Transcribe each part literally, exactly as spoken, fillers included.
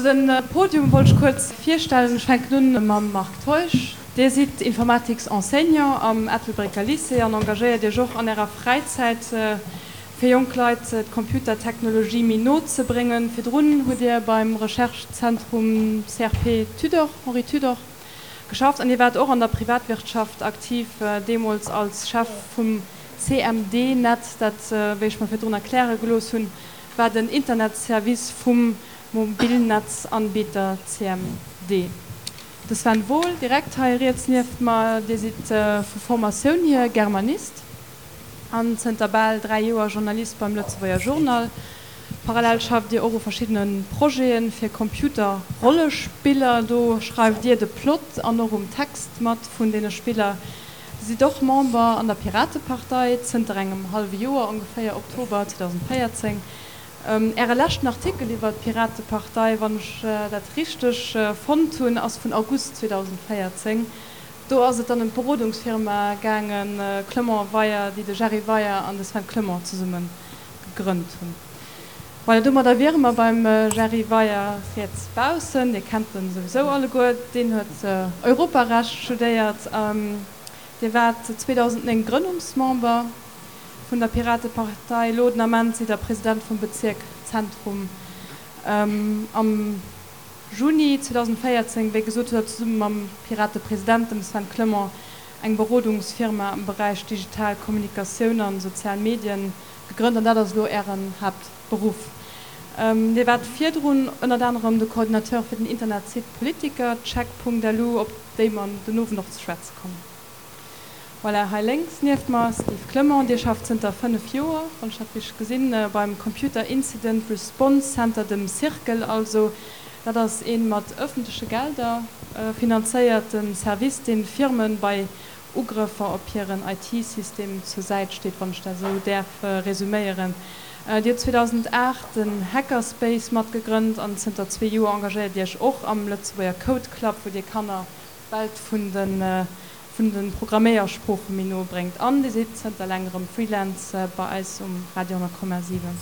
Den Podium wollt ech kuerz virstellen. Ech fänken un mam Marc Teusch. Dir sidd Informatiksenseignant am Ettelbrécker Lycée an engagéiert Iech och an Ärer Fräizäit, fir jonk Leit d'Computertechnologie méi no ze bréngen. Virdrun hutt Dir beim Recherche-Zentrum C R P Tudor, Henri Tudor, geschafft an Dir waart och an der Privatwirtschaft aktiv, deemools als Chef vum C M D-Net, dat, wéi ech mer virdrun erkläre gelooss hunn, war den Internetservice vum Mobilnetzanbieter C M D. De Sven Wohl, direkt hei riets nieft mer, Dir sidd vu Formatioun hier Germanist an zënter bal dräi Joer Journalist beim Lëtzebuerger Journal. Parallel schafft Dir och u verschiddene Projeten fir Computerrollespiller. Do schreift Dir de Plot an och um Text mat vun deene Spiller. Dir sidd och Member an der Piratepartei zënter engem hallwe Joer, ongeféier Oktober zweedausendvéierzéng. Äre leschten Artikel iwwer d'Piratepartei, wann ech dat richteg fonnt hunn, ass vun August zweedausendvéierzéng. Do ass et dann ëm d'Berodungsfirma gaangen, Clement Weyer, déi de Jerry Weyer an de Sven Clement zesumme gegrënnt hunn. Voilà, domadder wiere mer beim Jerry Weyer riets baussen. Dir kennt en souwisou alleguer. Deen huet Europarecht studéiert. Dir waart zweedausendnéng Grënnungsmember vun der Piratepartei. Elo den Ament sidd der President vum Bezirk Zentrum. Am Juni zweedausendvéierzéng, wéi gesot, huet der zesumme mam Piratepresident, dem Sven Clement, eng Berodungsfirma am Beräich digital Kommunikatioun an sozial Medien gegrënnt, an dat ass elo ären Haaptberuff. Dir waart virdrun ënnert anerem de Coordinateur fir den Internetsite Politiker check punkt L U, op déi mer den Owend och ze schwätze kommen. Voilà, hei lénks nieft mer Steve Clement, Dir schafft zënter fënnef Joer, wann ech dat richteg gesinn, beim Computer Incident Response Center, dem Circle also. Dat ass een mat ëffentleche Gelder finanzéierten Service, deen Firmen bei Ugrëffer op hiren I T-System zur Säit steet, wann ech dat esou däerf resuméieren. Dir hutt zweedausendaacht den Hackerspace matgegrënnt an zënter zwee Joer engagéiert Dir Iech och am Lëtzebuerger Code Club, wou Dir Kanner d'Welt vun den, vun den Programméiersprooche méi no bréngt. An Dir sidd zënter längerem Freelance bei eis um Radio honnert Komma siwen.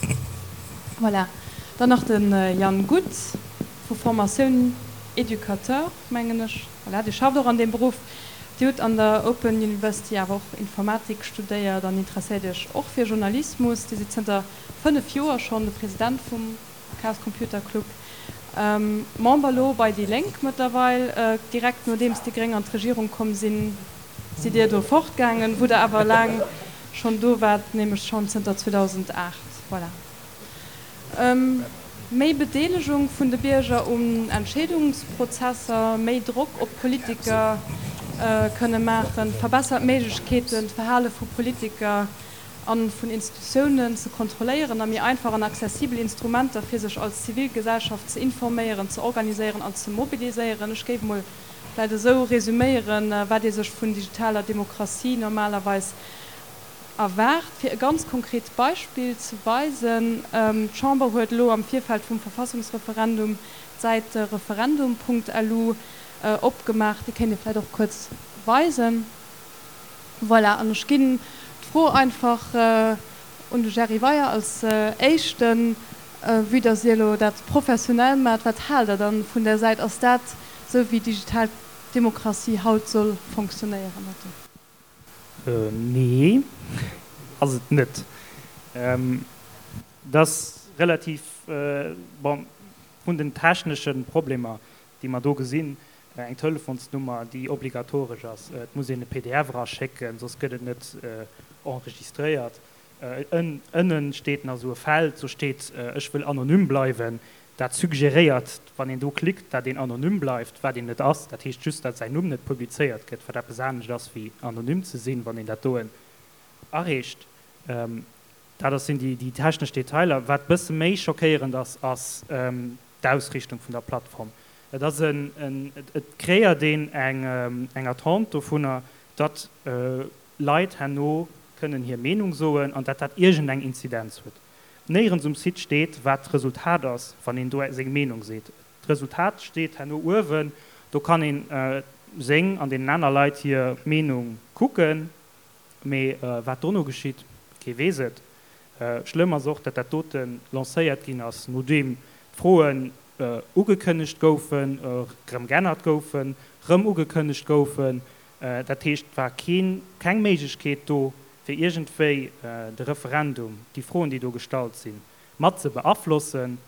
Voilà. Dann nach den Jan Guth, vu Formatioun Educateur, mengen ech. Voilà, Dir schafft och an deem Beruff. Dir hutt an der Open University awer och Informatik studéiert an interesséiert Iech och fir Journalismus. Dir sidd zënter fënnef Joer schonn de President vum Chaos Computer Club. Member elo bei déi Lénk mëttlerweil. Direkt nodeems déi Gréng an d'Regierung komm sinn, sidd Dir do fortgaangen, wou der awer laang schonn do waart, nämlech schonn zënter zweedausendaacht. Voilà. Méi Bedeelegung vun de Bierger un Entscheedungsprozesser, méi Drock op Politiker kënne maachen, verbessert Méiglechkeeten, d'Verhale vu Politiker an vun Institutiounen ze kontrolléieren a méi einfach an accessibel Instrumenter fir sech als Zivilgesellschaft ze informéieren, ze organiséieren an ze mobiliséieren. Ech géif mol vläicht esou resuméieren, wat ee sech vun digitaler Demokratie normalerweis erwaart. Fir e ganz konkret Beispill ze weisen, d'Chamber huet elo am Virfeld vum Verfassungsreferendum d'Säit referendum punkt L U opgemaach. Déi kéint Dir vläicht och kuerz weisen. Voilà, an ech ginn d'Fro einfach un de Jerry Weyer als éischten, vue dass Dir elo dat professionell macht. Wat haalt der dann vun der Säit? Ass dat sou wéi digital Demokratie haut soll funktionéieren? Nee, ass et net. Dat ass relativ, bon, vun den techneschen Problemer, déi mer do gesinn, eng Telefonsnummer, déi obligatoresch ass. Et muss een e P D F raschécken, soss gëtt et net enregistréiert. Ënnen steet nach so e Feld, so steet, ech wëll anonym bleiwen. Dat suggeréiert, wann een do klickt, dat een anonym bleift, wat een net ass. Dat heescht just, dat säin Numm net publizéiert gëtt, wat eppes anescht ass, wéi anonym ze sinn, wann een dat doen erreecht. Dat ass sinn déi, déi technesch Detailer. Wat bësse méi schockéierend ass, ass d'Ausrichtung vun der Plattform. Et ass en, en, et, et kreéiert een eng, eng Attente dovunner, datt Leit herno kënnen hir Meenung soen an dat dat iergendeng Inzidenz huet. Néierens um Site steet, wat d'Resultat ass, wann een do seng Meenung seet. D'Resultat steet herno uewen, do kann een seng an den aner Leit hir Meenung kucken, mee wat dono geschitt, kee weess et. Schlëmm ass och, dat dat doten lancéiert ginn ass, nodeem d'Froen ugekënnegt goufen, erëm geännert goufen, erëm ugekënnegt goufen. Dat heescht, et war keen, keng Méiglechkeet do, fir iergendwéi de Referendum, déi Froen, déi do gestallt sinn, mat ze beaflossen.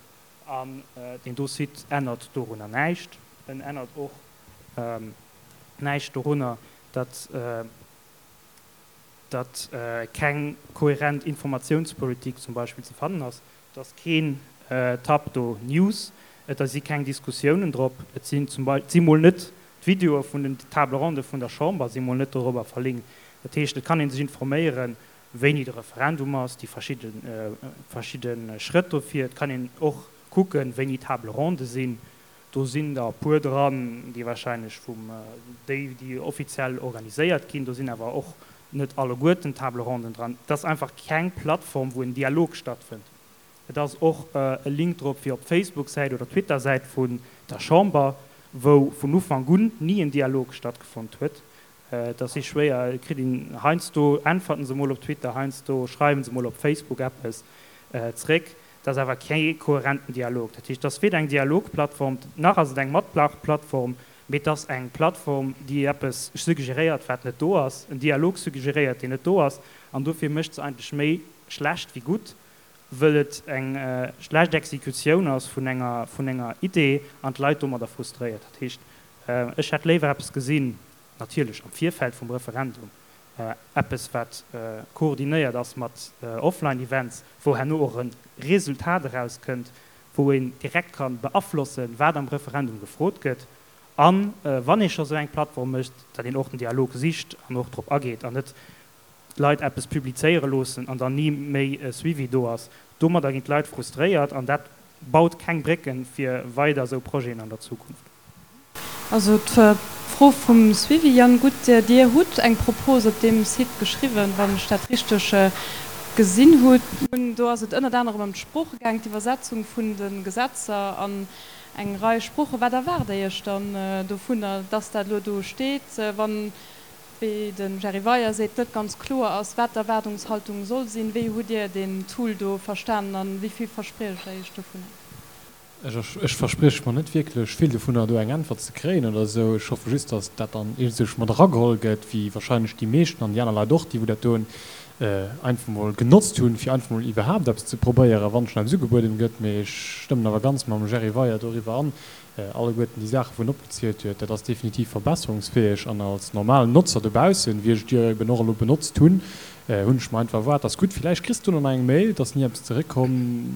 An deen do Site ännert dorunner näischt. En ännert och näischt dorunner, datt datt keng kohärent Informatiounspolitik zum Beispill ze fannen ass. Et ass keen Tab do News, et si keng Diskussiounen drop, et sinn zum Beispill, et si mol net d'Videoe vun den Table ronde vun der Chamber si mol net dorobber verlinkt. Dat heescht, et kann ee sech informéieren, wéini de Referendum ass, déi verschidde verschidde Schrëtt dofir. Et kann een och kucken, wéini Table ronde sinn. Do sinn der e puer dran, déi wahrscheinlech vum, déi, déi offiziell organiséiert ginn. Do sinn awer och net alleguerten Table ronden dran. Et ass einfach keng Plattform, wou en Dialog stattfënnt. Et ass och e Link drop fir op d'Facebook-Säit oder d'Twitter-Säit vun der Chamber, wou vun Ufank un ni en Dialog stattgefonnt huet. Et ass si schwéier, et kritt een heiansdo äntwerten se mol op Twitter, heiansdo schreiwen se mol op Facebook eppes zréck. Et ass awer kee kohärenten Dialog. Dat heescht, et ass weder eng Dialogplattform, nach ass et eng Matmaachplattform, mee et ass eng Plattform, déi eppes suggeréiert, wat net do ass, en Dialog suggeréiert, deen net do ass. An dofir mécht se eigentlech méi schlecht wéi gutt, wëll et eng schlecht Exekutioun ass vun enger, vun enger Idee an d'Leit domadder frustréiert. Dat heescht, ech hätt léiwer eppes gesinn, natierlech am Virfeld vum Referendum, eppes wat koordinéiert ass mat Offline-Events, wou herno och e Resultat erauskënnt, wou een direkt ka beaflossen, wat am Referendum gefrot gëtt. A wann ee scho sou eng Plattform mécht, datt een och den Dialog sicht an och drop ageet an net d'Leit eppes publizéiere loossen an dann ni méi e Suivi do ass. Domadder ginn d'Leit frustréiert an dat baut keng Brécken fir weider esou Projeten an der Zukunft. Also d'Fro vum Suivi, Yann Guth, Dir hutt eng Propos op deem Site geschriwwen, wann ech dat richteg gesinn hunn. Do ass et ënnert anerem ëm d'Sprooche gaang, d'Iwwersetzung vun de Gesetzer an eng Rei Sproochen. Wat erwaart Dir Iech dann dovunner, dass dat elo do steet, wann, wéi de Jerry Weyer seet, net ganz kloer ass, wat d'Erwaardungshaltung soll sinn? Wéi hutt Dir deen Tool do verstanen a wéi vill verspriecht Der Iech dovunner? Ech versprieche mer net wierklech vill dovunner, do eng Äntwert ze kréien oder esou. Ech hoffe just, datt dat dann iergendswou mat erageholl gëtt, wéi wahrscheinlech déi meeschten an déi aner Leit och, déi wou dat doen, einfach mol genotzt hunn, fir einfach mol iwwerhaapt eppes ze probéieren, wann schonn eppes ugebueden gëtt. Mee ech stëmmen awer ganz mam Jerry Weyer doriwwer an, alleguerten déi Saachen, wou en opgezielt huet, dat ass definitiv verbesserungsfäeg. An als normalen Notzer dobaussen, wéi ech et jo eben och elo benotzt hunn, hunn ech mer einfach erwaart, dass gutt, villäicht kriss du nach eng Mail, et ass ni eppes zeréckkomm,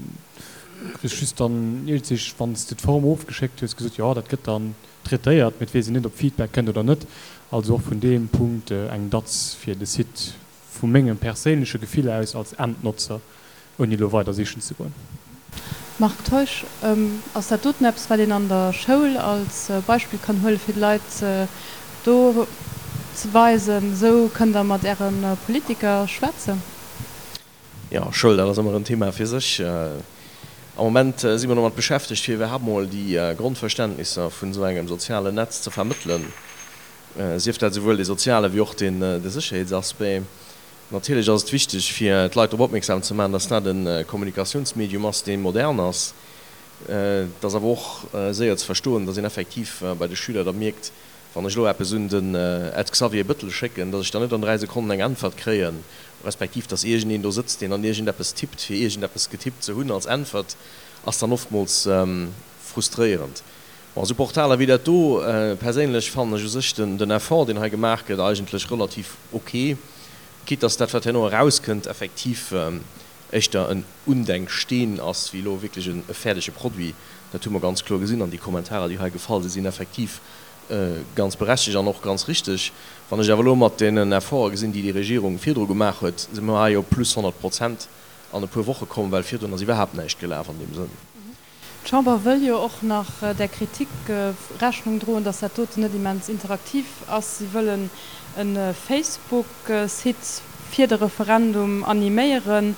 kriss just dann iergendwéi, wann s de d'Form ofgeschéckt hues, gesot, jo, dat gëtt dann traitéiert, mee et weess een net, ob Feedback kënnt oder net. Also och vun deem Punkt eng Datz fir de Site vu mengem perséinleche Gefill aus als Endnotzer, ouni elo weider sichen ze goen. Marc Teusch, Ass dat doten eppes, wat een an der Schoul als Beispill kann huelen, fir de Leit do ze weisen, esou kënnt der mat Äre Politiker schwätzen? Jo, Schoul, dat ass ëmmer en Thema fir sech. Am Moment si mer domat beschäftegt, fir iwwerhaapt mol déi Grondverständnisser vun esou engem sozialen Netz ze vermëttelen, sief dat esouwuel dee soziale wéi och de Sécherheetsaspect. Natierlech ass et wichteg, fir d'Leit drop opmierksam ze maachen, dass dat e Kommunikatiounsmedium ass, dee modern ass. Et ass awer och séier ze verstoen, dass een effektiv bei de Schüler da mierkt, wann ech elo eppes un den Ed Xavier Bëttel schécken, dass ech dann net an dräi Sekonnen eng Äntwert kréien, respektiv dass iergendeen do sëtzt, deen dann iergendeppes tippt, fir iergendeppes getippt ze hunn als Äntwert, ass dann oftmools frustréierend. Bon, esou Portaler wéi dat do, perséinlech fannen ech u sech den Effort, deen hei gemaach gëtt, eigentlech relativ ok, quitte dass dat, wat herno erauskënnt, effektiv éischter en Undenksteen ass wéi elo wierklech e fäerdege Produit. Dat hu mer ganz kloer gesinn an déi Kommentarer, déi hei gefall sinn, sinn effektiv ganz berechtegt an och ganz richteg. Wann ech awer elo mat deenen Efforte gesinn, déi déi Regierung virdru gemaach huet, si mer hei op plus honnert Prozent an e puer Woche komm, well virdrun ass iwwerhaapt näischt gelaf an deem Sënn. D'Chamber wëll jo och nach där Kritik Rechnung droen, datt dat doten net immens interaktiv ass. Si wëllen e Facebook-Site fir de Referendum animéieren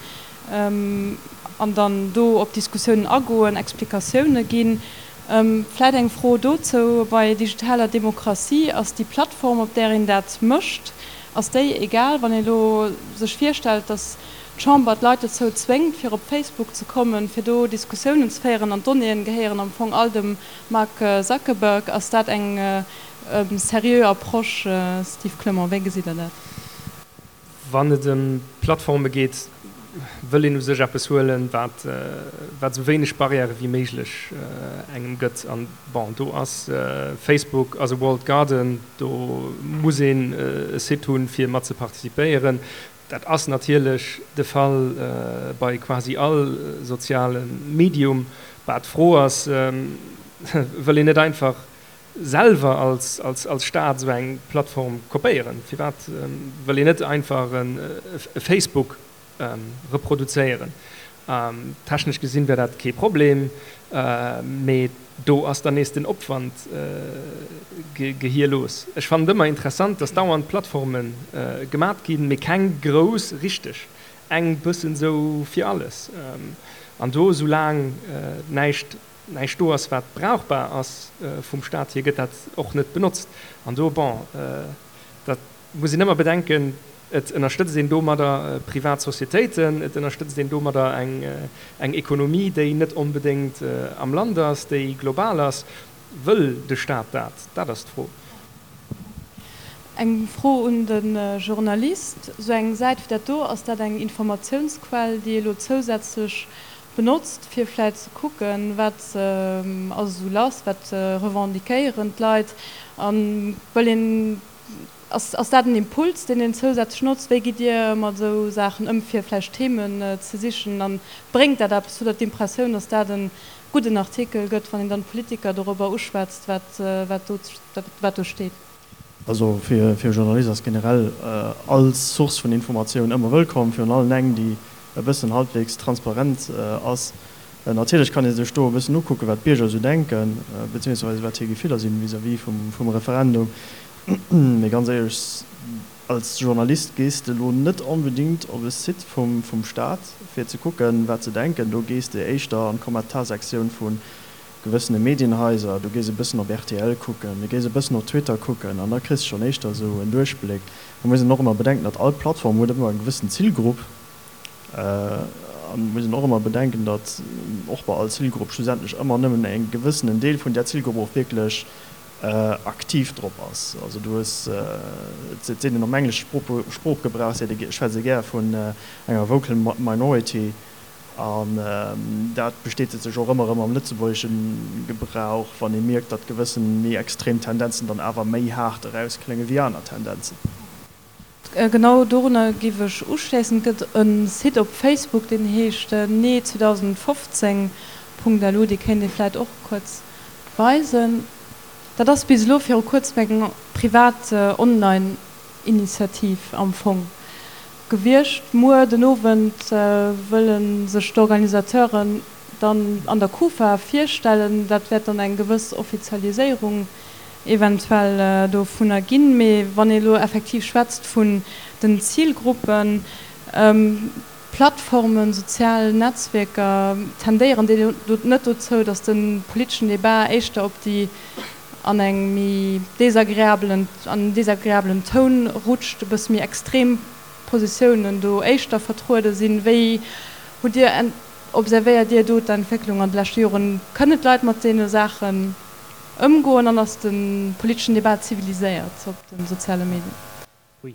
an dann do op d'Diskussiounen agoen, Explikatioune ginn. Vläit eng Fro dozou, Bei digitaler Demokratie, ass déi Plattform, op där een dat mécht, ass déi egal? Wann ee elo sech virstellt, datt d'Chamber d'Leit dozou zwéngt, fir op Facebook ze kommen, fir do Diskussiounen ze féieren, an d'Donnéeën gehéieren am Fong all dem Mark Zuckerberg. Ass dat eng seriö Approche, Steve Clement? Wéi gesitt Der dat? Wann et ëm Plattforme geet, wëll een u sech eppes huelen, wat wat esou wéineg Barrièrë wéi méiglech engem gëtt. An bon, do ass Facebook ass e Walled Garden, do muss een e Site hunn, fir mat ze participéieren. Dat ass natierlech de Fall bei quasi all soziale Medium. Bah, d'Fro ass, wëll een net einfach selwer als als Staat esou eng Plattform kopéieren? Firwat wëll een net einfach e Facebook reproduzéieren? Technesch gesinn wär dat kee Problem, mee do ass dann nees den Opwand gehierlos. Ech fannen et ëmmer interessant, dass dauernd Plattforme gemat ginn, mee keng grouss richteg, eng bëssen esou fir alles. An do, soulaang näischt näischt do ass, wat brauchbar ass vum Staat hier, gëtt dat och net benotzt. An do, bon, dat muss een ëmmer bedenken, et ënnerstëtzt een domadder privat Societéiten, et ënnerstëtzt een domadder eng eng Ekonomie, déi net onbedéngt am Land ass, déi global ass. Wëll de Staat dat? Dat ass d'Fro. Eng Fro un de Journalist, Esou eng Säit wéi dat do, ass dat eng Informatiounsquell, déi ee elo zousätzlech benotzt, fir vläit ze kucken, wat ass esou lass, wat revendiquéieren d'Leit, a wëll een, ass ass dat en Impuls, deen een zousätzlech notzt? Wéi gitt Dir mat esou Saachen ëm, fir vläicht Themen ze sichen, a bréngt dat eppes? Hutt Der d'Impressioun, datt dat e gudden Artikel gëtt, wann een dann d'Politiker dorobber uschwätzt, wat wat do wat do steet? Also fir e Journalist ass generell all Source vun Informatioun ëmmer wëllkomm, virun allem eng, déi e bëssen halbwegs transparent ass. Natierlech kann ee sech do e bëssen ukucken, wat d'Bierger esou denken, beziehungsweise wat hir Gefiller sinn vis-à-vis vum Referendum. Mee ganz éierlech, als Journalist gees de elo net onbedingt op e Site vum Staat, fir ze kucken, wat se denken. Do gees de éischter an d'Kommentarsektioun vu gewëssene Medienhaiser, du gees e bëssen op rtl kucken, du gees e bëssen op Twitter kucken an da kriss de schonn éischter esou en Duerchbléck. Et muss een och ëmmer bedenken, datt all Plattform huet ëmmer eng gewëssen Zilgrupp an et muss een och ëmmer bedenken, datt och bei all Zilgrupp schlussendlech ëmmer nëmmen e gewëssenen Deel vun där Zilgrupp och wierklech aktiv drop ass. Also du hues, et seet een am englesche Sproochgebrauch, seet ee, schwätzt ee gär vun enger vocal minority. An dat bestätegt sech och ëmmer erëm am lëtzebuergesche Gebrauch, wann ee mierkt, datt gewëssen méi extrem Tendenzen dann awer méi haart erausklénge wéi aner Tendenzen. Genau dorunner géif ech uschléissen. Et gëtt e Site op Facebook, deen heescht nee zweedausendfofzéng Punkt lu, dee kéint ee vläit och kuerz weisen. Dat ass bis elo viru kuerzem eng privat Online-Initiativ am Fong gewiescht. Muer den Owend wëlle sech d'Organisateuren dann an der Kufa virstellen. Dat wäert dann eng gewëss Offizialiséierung eventuell dovunner ginn. Mee wann ee elo effektiv schwätzt vun den Zilgruppen, Plattformen, sozial Netzwierker, tendéieren déi net dozou, datt de politeschen Debat éischter op déi an eng méi desagreabelen, an en desagreabelen Toun rutscht, e bësse méi extrem Positiounen do éischter vertruede sinn. Wéi hutt Dir, observéiert Dir do d'Entwécklung an de leschte Joren? Kënnen d'Leit mat deene Saachen ëmgoen an ass de politeschen Debat ziviliséiert op de soziale Medien? Ui,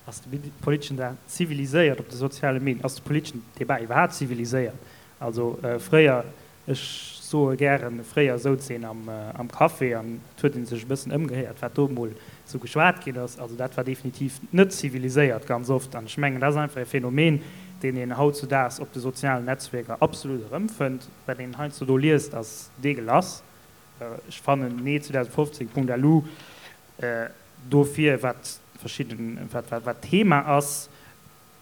ass de politeschen Debat ziviliséiert op de soziale Medien? Ass de politeschen Debat iwwerhaapt ziviliséiert? Also fréier, ech soe gären, fréier souz een am Café an et huet ee sech e bëssen ëmgehéiert, wat do emol esou geschwat ginn ass. Also dat war definitiv net ziviliséiert ganz oft. An ech mengen, dat ass einfach e Phänomen, deen een hautzudaags op de sozialen Netzwierker absolut erëmfënnt. Wat een heiansdo do liest, ass deegelass. Ech fannen nee zweedausendfofzéng Punkt lu dofir, wat verschidden, wat wat d'Thema ass,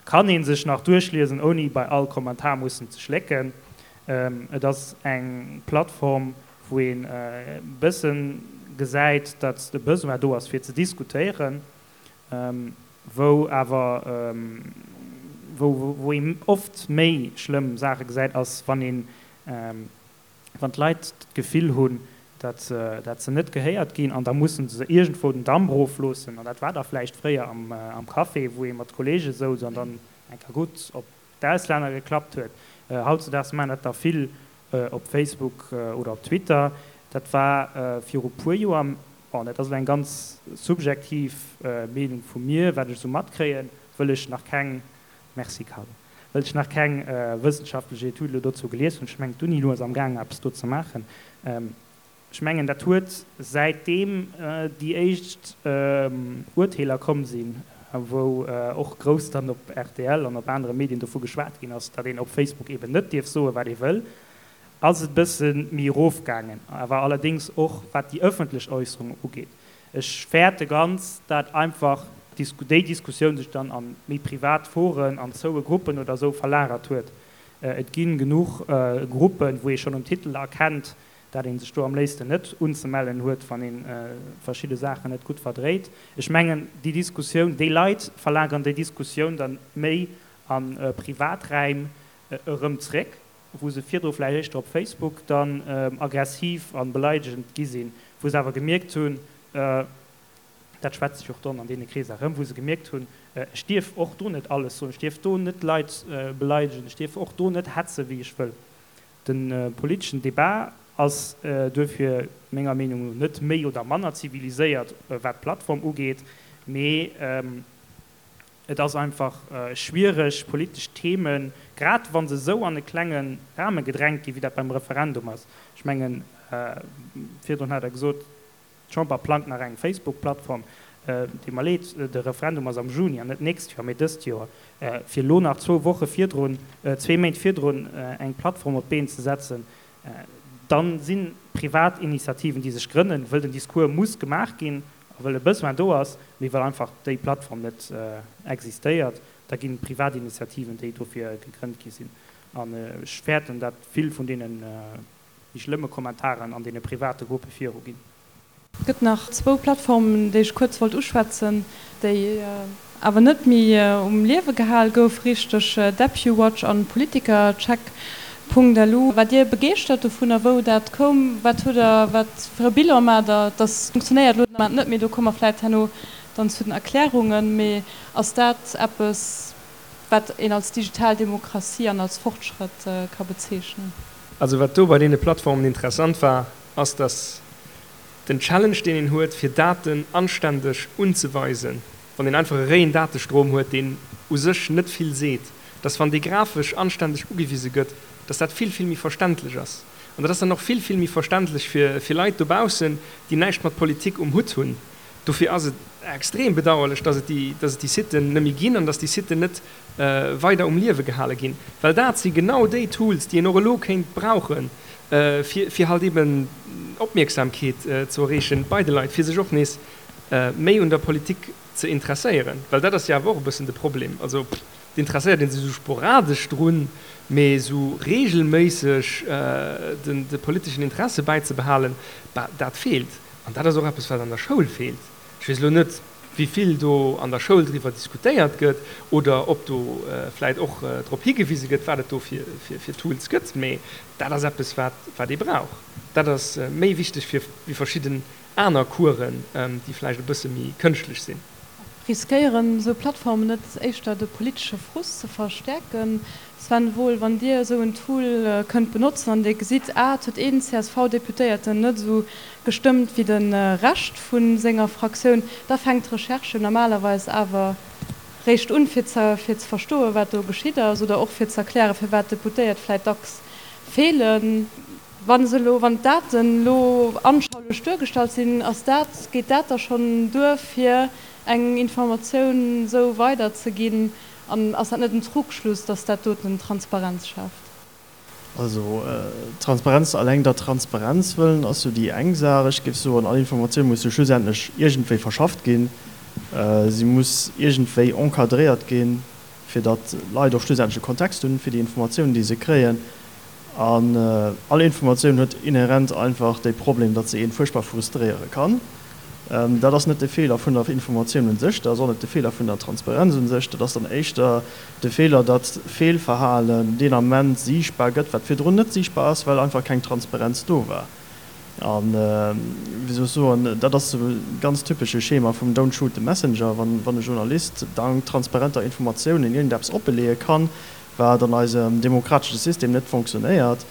kann ee sech nach duerchliesen, ouni bei all Kommentar mussen ze schlécken. Et ass eng Plattform, wou een e bësse gesäit, datt de Besoin do ass, fir ze diskutéieren, wou awer, wou ee oft méi schlëmm Saache gesäit, ass, wann een, wann d'Leit d'Gefill hunn, datt se net gehéiert ginn an da musse se iergendwou den Damp erofloossen. An dat war da vläicht fréier am Café, wou ee mat Kolleege souz an dann eng Kéier gutt op d'Auslänner geklappt huet. Hautzedaags maachen dat der vill op Facebook oder op Twitter. Dat war viru puer Joer, bon, dat ass elo eng ganz subjektiv Meenung vu mir, wat ech esou matkréien, wëll ech nach keng, merci Carlo, wëll ech nach keng wëssenschaftlech Etüd elo dozou gelies hunn, ech mengen d'Uni-Lu ass amgaangen eppes do ze maachen, ech mengen dat huet säitdeem déi éischt Urteeler komm sinn, wou och grouss dann op rtl an op anere Medien dovu geschwat ginn ass, datt een op Facebook eben net dierf soen, wat ee wëll, ass et e bësse méi erofgaangen, awer allerdéngs och wat déi ëffentlech Äusserungen ugeet. Ech fäerte ganz, dat einfach déi Diskussioun sech dann a méi privat Foren, an zoue Gruppen oder esou verlagert huet. Et gi genuch Gruppen, wou ee schonn um Titel erkennt, dat ee sech do am léifsten net unzemellen huet, wann ee verschidde Saachen net gutt verdréit. Ech mengen, déi Diskussioun, déi Leit verlageren déi Diskussioun dann méi a Privaträim erëm zréck, wou se virdru vläicht éischter op Facebook dann aggressiv a beleidegend gi sinn, wou se awer gemierkt hunn, dat schwätzt sech och dann an deene Kreeser erëm, wou se gemierkt hunn, ech dierf och do net alles soen, ech dierf do net Leit beleidegen, ech dierf och do net hetze wéi ech wëll. De politeschen Debat ass duerfir menger Meenung no net méi oder manner ziviliséiert, wat d'Plattform ugeet, mee Et ass einfach schwiereg, politesch Themen, grad wa se esou an e klenge Rahme gedrängt ginn, wéi dat beim Referendum ass. Ech mengen, virdrun hat Der gesot, d'Chamber plangt nach eng Facebook-Plattform. Deet mer leed, de Referendum ass am Juni an net d'nächst Joer, mee dëst Joer. Fir elo nach zwou Woche virdrun, zwee Méint virdrun eng Plattform op d'Been ze setzen, da si privat Initiativen, déi sech grënnen, wëll den Discours muss gemaach ginn, A well e Besoin do ass, mee well einfach déi Plattform net existéiert, da ginn et privat Initiativen, déi dofir gegrënnt gi sinn. An ech fäerten, dat vill vun deene méi schlëmme Kommentaren an deene private Gruppe viru ginn. Et gëtt nach zwou Plattformen, déi ech kuerz wollt uschwätzen, déi awer net méi um Liewe gehal gouf richteg, DepuWatch an Politikercheck. Punkt lu. Waart Dir begeeschtert dovunner, wou dat koum? Wat hutt Der, wat fir e Bilan maacht Der? Dass funktionéiert elo den Ament net méi, do komme mer vläicht herno dann zu den Erklärungen. Mee ass dat eppes, wat een als digital Demokratie an als Fortschrëtt ka bezeechnen? Also wat do bei deene Plattformen interessant war, ass, dass den Challenge, deen een huet, fir Daten anständeg unzeweisen, wann een einfach e réien Datestrom huet, deen u sech net vill seet, dass wann dee grafesch anständeg ugewise gëtt, dass dat vill, vill méi verständlech ass. An dat ass dann och vill, vill méi verständlech fir, fir Leit dobaussen, déi näischt mat Politik um Hutt hunn. Dofir ass et extrem bedauerlech, dass et déi, dass et déi Siten net méi ginn an dass déi Siten net weider um Liewe gehale ginn, well dat si genau déi Tools, déi een och elo kéint brauchen, fir, fir halt eben Opmierksamkeet ze erreechen bei de Leit, fir sech och nees méi un der Politik ze interesséieren, well dat ass jo awer och e bëssen de Problem. Also et interesséiert ee sech esou sporadesch drun, mee esou reegelméisseg de politeschen Interesse bäizebehalen, bah, dat feelt. An dat ass och eppes, wat an der Schoul feelt. Ech weess elo net, wéi vill do an der Schoul driwwer diskutéiert gëtt oder ob do vläicht och drop higewise gëtt, wat et do fir Tools gëtt, mee dat ass eppes, wat ee brauch. Dat ass méi wichteg wéi verschidden aner Coursen, déi vläicht e bësse méi kënschtlech sinn. Riskéieren esou Plattformen net éischter de politesche Frust ze verstäerken? Sven Wohl, wann Dir esou en Tool kënnt benotzen an Dir gesitt, ah, et huet een C S V-Deputéierten net esou gestëmmt wéi de Rescht vu senger Fraktioun, da fänkt d'Recherche normalerweis awer réischt un, fir ze fir ze verstoen, wat do geschitt ass, oder och fir ze erklären, firwat d'Deputéiert vläicht dacks feelen. Wa se elo, wann d'Daten elo anschaulech duergestallt sinn, ass dat, geet dat da schonn duer, fir eng Informatioun esou weiderzeginn? An ass dat net en Trugschluss, dass dat doten Transparenz schaaft? Also Transparenz alleng der Transparenz wëllen ass jo déi eng Saach. Ech géif soen, all Informatioun muss jo schlussendlech iergendwéi verschafft ginn. Si muss iergendwéi encadréiert ginn, fir datt d'Leit och schlussendlech e Kontext hunn fir déi Informatiounen, déi se kréien. An all Informatioun huet inhärent einfach de Problem, datt se een fuerchtbar frustréiere kann. Dat ass net de Feeler vun der Informatioun un sech, dat ass och net de Feeler vun der Transparenz un sech, dat ass dann éischter de Feeler, datt Feelverhalen deen Ament siichtbar gëtt, wat virdrun net siichtbar ass, well einfach keng Transparenz do war. An, wéi soll ech soen, dat ass esou e ganz typesche Schema vum Don't shoot the messenger, wann e Journalist dank transparenter Informatiounen iergendeppes oppeleeë kann, wat an eisem demokratesche System net fonctionnéiert,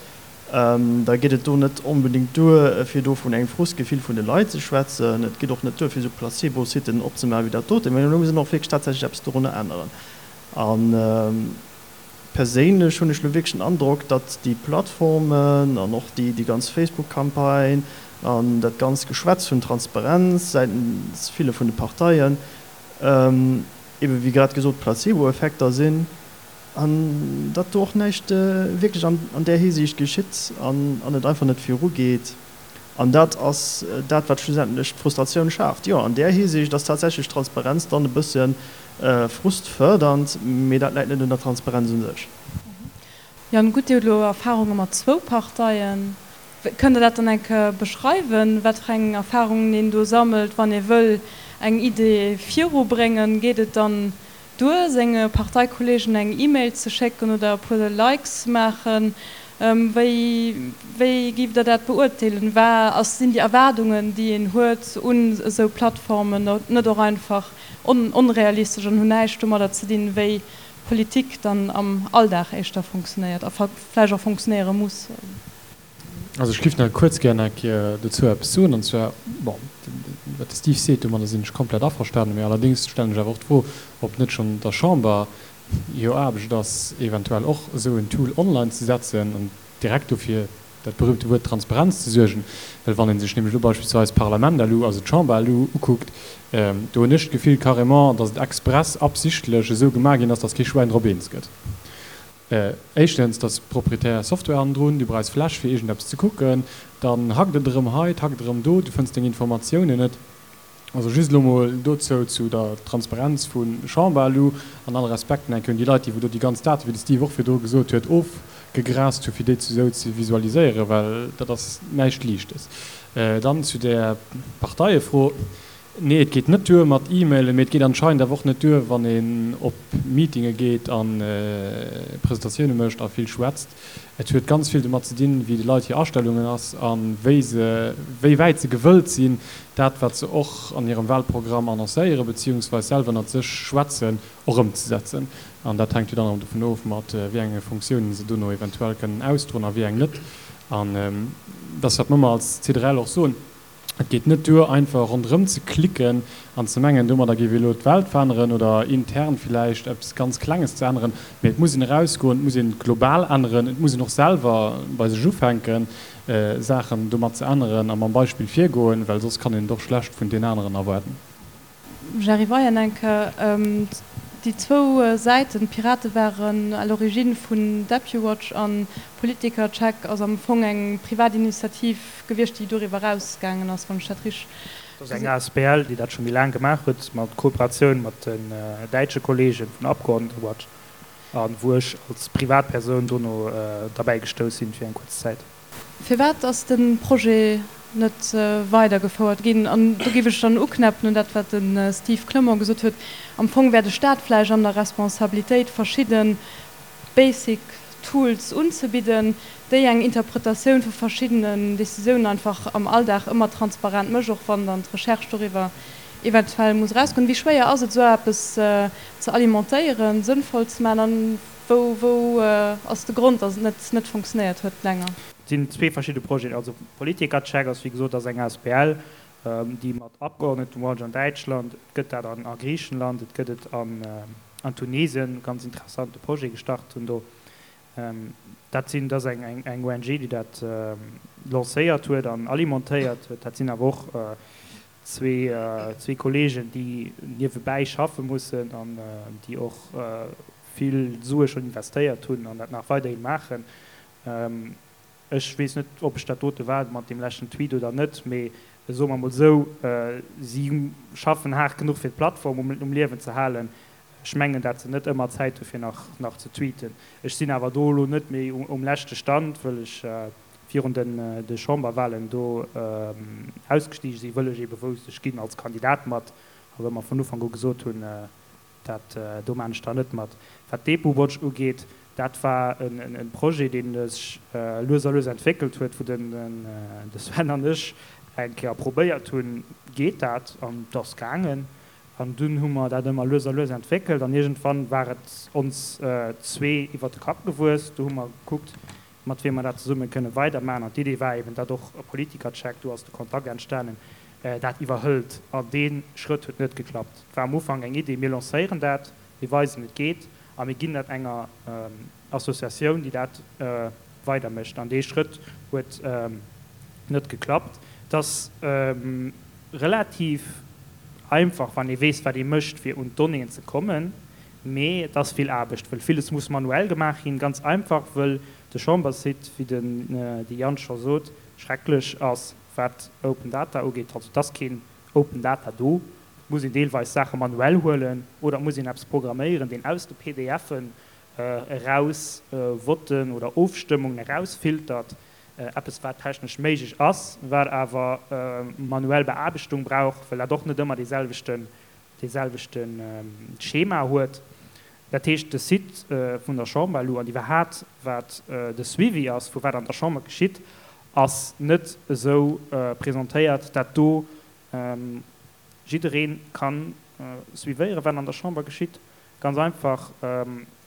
da geet et do net onbedéngt duer, fir do vun engem Frustgefill vun de Leit ze schwätzen. Et geet och net duer, fir esou Placebo-Siten opzemaachen wéi dat doten, mä do muss een och wierklech tatsächlech eppes dorunner änneren. A perséinlech hunn ech elo wierklech den Androck, datt déi Plattformen an och déi ganz Facebook-Campagne an dat ganzt Geschwätz vun Transparenz säitens ville vun de Parteien ebe wéi grad gesot Placebo-Effekter sinn. An datt do och näischt wierklech an där Hisiicht geschitt an et einfach net virugeet. An dat ass dat, wat schlussendlech d'Frustratioun schaaft. Jo, an där Hisiicht ass tatsächlech Transparenz dann e bësse frustfërdernd, mee dat läit net un der Transparenz u sech. Jan, gutt, Dir hutt elo Erfarunge mat zwou Parteien. Kënnt Der dat dann eng Kéier beschreiwen, wat fir eng Erfarungen een do sammelt, wann ee wëll eng Idee virubréngen? Geet et dann duer, senge Parteikollegen eng E-Mail ze schécken oder e puer Likes ze maachen? Wéi, wéi giff Der dat beurteelen? Wa ass, sinn déi Erwaardungen, déi een huet un esou Plattformen, net och einfach onrealistesch an hunn näischt domadder ze dinn, wéi Politik dann am Alldag éischter funktionéiert a vläicht och funktionéiere muss? Also ech giff nach kuerz gär eng Kéier dozou eppes soen, an zwar, bon, wat de Steve seet, domadder sinn ech komplett averstanen, mä allerdéngs stellen ech awer och d'Fro, ob net schonn der Chamber hir Aarbecht ass, eventuell och esou en Tool online ze setzen an direkt dofir dat berühmte Wuert Transparenz ze suergen. Well wann ee sech nämlech elo beispillsweis d'Parlament-LU, also d'Chamber-LU ukuckt, do hunn ech d'Gefill carrément, datt et express absichtlech esou gemaach ginn ass, datt kee Schwäin drop eens gëtt. Éischtens, dass proprietär Software hannendrun, du brauchs Flash fir iergendeppes ze kucken, dann hackt et erëm hei, et hackt erëm do, du fënns deng Informatiounen net. Also just elo mol dozou, zu der Transparenz vu Chamber-LU, an all Respekt, enk un déi Leit, déi wou do déi ganz Daten, wéi de Steve och virdru gesot huet, ofgegraast hu fir déi esou ze visualiséieren, well dat ass näischt Liichtes. Dann zu där Parteiefro. Nee, et geet net duer mat E-Mailen, mee et geet anscheinend awer och net duer, wann een op Meetinge geet a Presentatioune mécht a vill schwätzt. Et huet ganz vill domat ze dinn, wéi de Leit hir Astellungen ass a wéi se, wéi wäit se gewëllt sinn, dat, wat se och an hirem Wahlprogramm annoncéieren, beziehungsweis selwer ënnert sech schwätzen, och ëmzesetzen. An dat hänkt jo dann erëm dovun of, mat wéi enge Funktiounen se dono eventuell kënnen ausdroen a wéi eng net. An dat ass, wat mer ëmmer als C D R L och soen. Et geet net duer, einfach ronderëm ze klicken an ze mengen, domadder géif ee elo d'Welt veränneren oder intern villäicht eppes ganz Klenges ze änneren, mee et muss een erausgoen, et muss een global änneren, et muss een och selwer bei sech ufänken, Saachen domat ze änneren a mam Beispill virgoen, well soss kann een et och schlecht vun den aneren erwaarden. Jerry Weyenenke, Déi zwou Säiten, d'Pirate waren à l'origine vun DepuWatch an Politikercheck ass am Fong eng privat Initiativ gewiescht, déi doriwwer erausgaangen ass, wann ech dat richteg. Dat ass eng asbl, déi dat scho méi laang gemaach huet, mat Kooperatioun mat den däitsche Kolleege vun Abgeordnetenwatch, a wou ech als Privatpersoun dono derbäi gestouss sinn fir eng kuerz Zäit. Firwat ass de Projet net weidergefouert ginn? An do géif ech dann uknäppen un dat, wat de Steve Clement gesot huet, Am Fong wär de Stat vläicht an der Responsabilitéit, verschidde basic Tools unzebidden, déi eng Interpretatioun vu verschiddenen Décisiounen einfach am Alldag ëmmer transparent mécht, och wann dann d'Recherche doriwwer eventuell muss erausgoen. Wéi schwéier ass et, esou eppes ze alimentéieren, sënnvoll ze maachen? An wou, wou ass de Grond, datt et net, net funktionéiert huet länger? Et sinn zwee verschidde Projeten. Also Politikercheck ass, wéi gesot, ass eng asbl, déi mat Abgeordnetenwatch an Däitschland, et gëtt dat an a Griichenland, et gëtt et an an Tunesien, ganz interessante Projet gestart hunn do. Dat sinn, dat ass eng eng eng O N G, déi dat lancéiert huet an alimentéiert huet. Dat sinn awer och zwee zwee Kollegen, déi niewebäi schaffe mussen an déi och vill Sue schonn investéiert hunn an dat nach weiderhi maachen. Ech weess net, ob ech dat dote war mat deem leschten Tweet oder net, mee soe mer emol esou, si schaffen haart genuch fir d'Plattform um Liewen ze halen. Ech mengen, dat se net ëmmer Zäit hu fir nach nach ze tweeten. Ech sinn awer do elo net méi um leschte Stand, wëll ech virun den de Chamberwahlen do ausgestige sinn, wëll ech ebe wousst, ech ginn als Kandidat mat a wëll mer vun Ufank u gesot hunn, dat do maan ech da net mat. Wat d'Depowatch ugeet, dat war e Projet, dee sech lues a lues entwéckelt huet, wou den de Sven an ech eng Kéier probéiert hunn, geet dat? An et ass gaangen. An dunn hu mer dat ëmmer lues a lues entwéckelt an iergendwann war et ons zwee iwwert de Kapp gewuess. Do hu mer gekuckt, mat wiem mer dat zesumme kënne weidermaachen. An d'Idee war eben, datt och e Politikercheck, do ass de Kontakt entstanen, dat iwwerhëlt. An dee Schrëtt huet net geklappt. Et war am Ufank eng Idee, mir lancéieren dat, mir weisen, et geet a mir ginn dat enger Associatioun, déi dat weidermécht. An dee Schrëtt huet net geklappt. Et ass relativ einfach, wann ee weess, wat ee mécht, fir un d'Donnéeën ze kommen, mee et ass vill Aarbecht, wëll villes muss manuell gemaach ginn. Ganz einfach, wëll de Chambersite, wéi den de Yann scho sot, schrecklech ass, wat Open Data ugeet. Also et ass keen Open Data do. Et muss een deelweis Saache manuell huelen oder et muss een eppes programméieren, deen aus de P D F'en eraus Votten oder Ofstëmmungen erausfiltert. Eppes wat technesch méiglech ass, wat awer manuell Beaarbechtung brauch, well dat och net ëmmer dee selwechten, dee selwechte Schema huet. Dat heescht, de Site vun der Chamber elo an iwwerhat wat de Suivi ass vu wat an der Chamber geschitt, ass net esou presentéiert, dat do jidderee ka suivéieren, wat an der Chamber geschitt. Ganz einfach,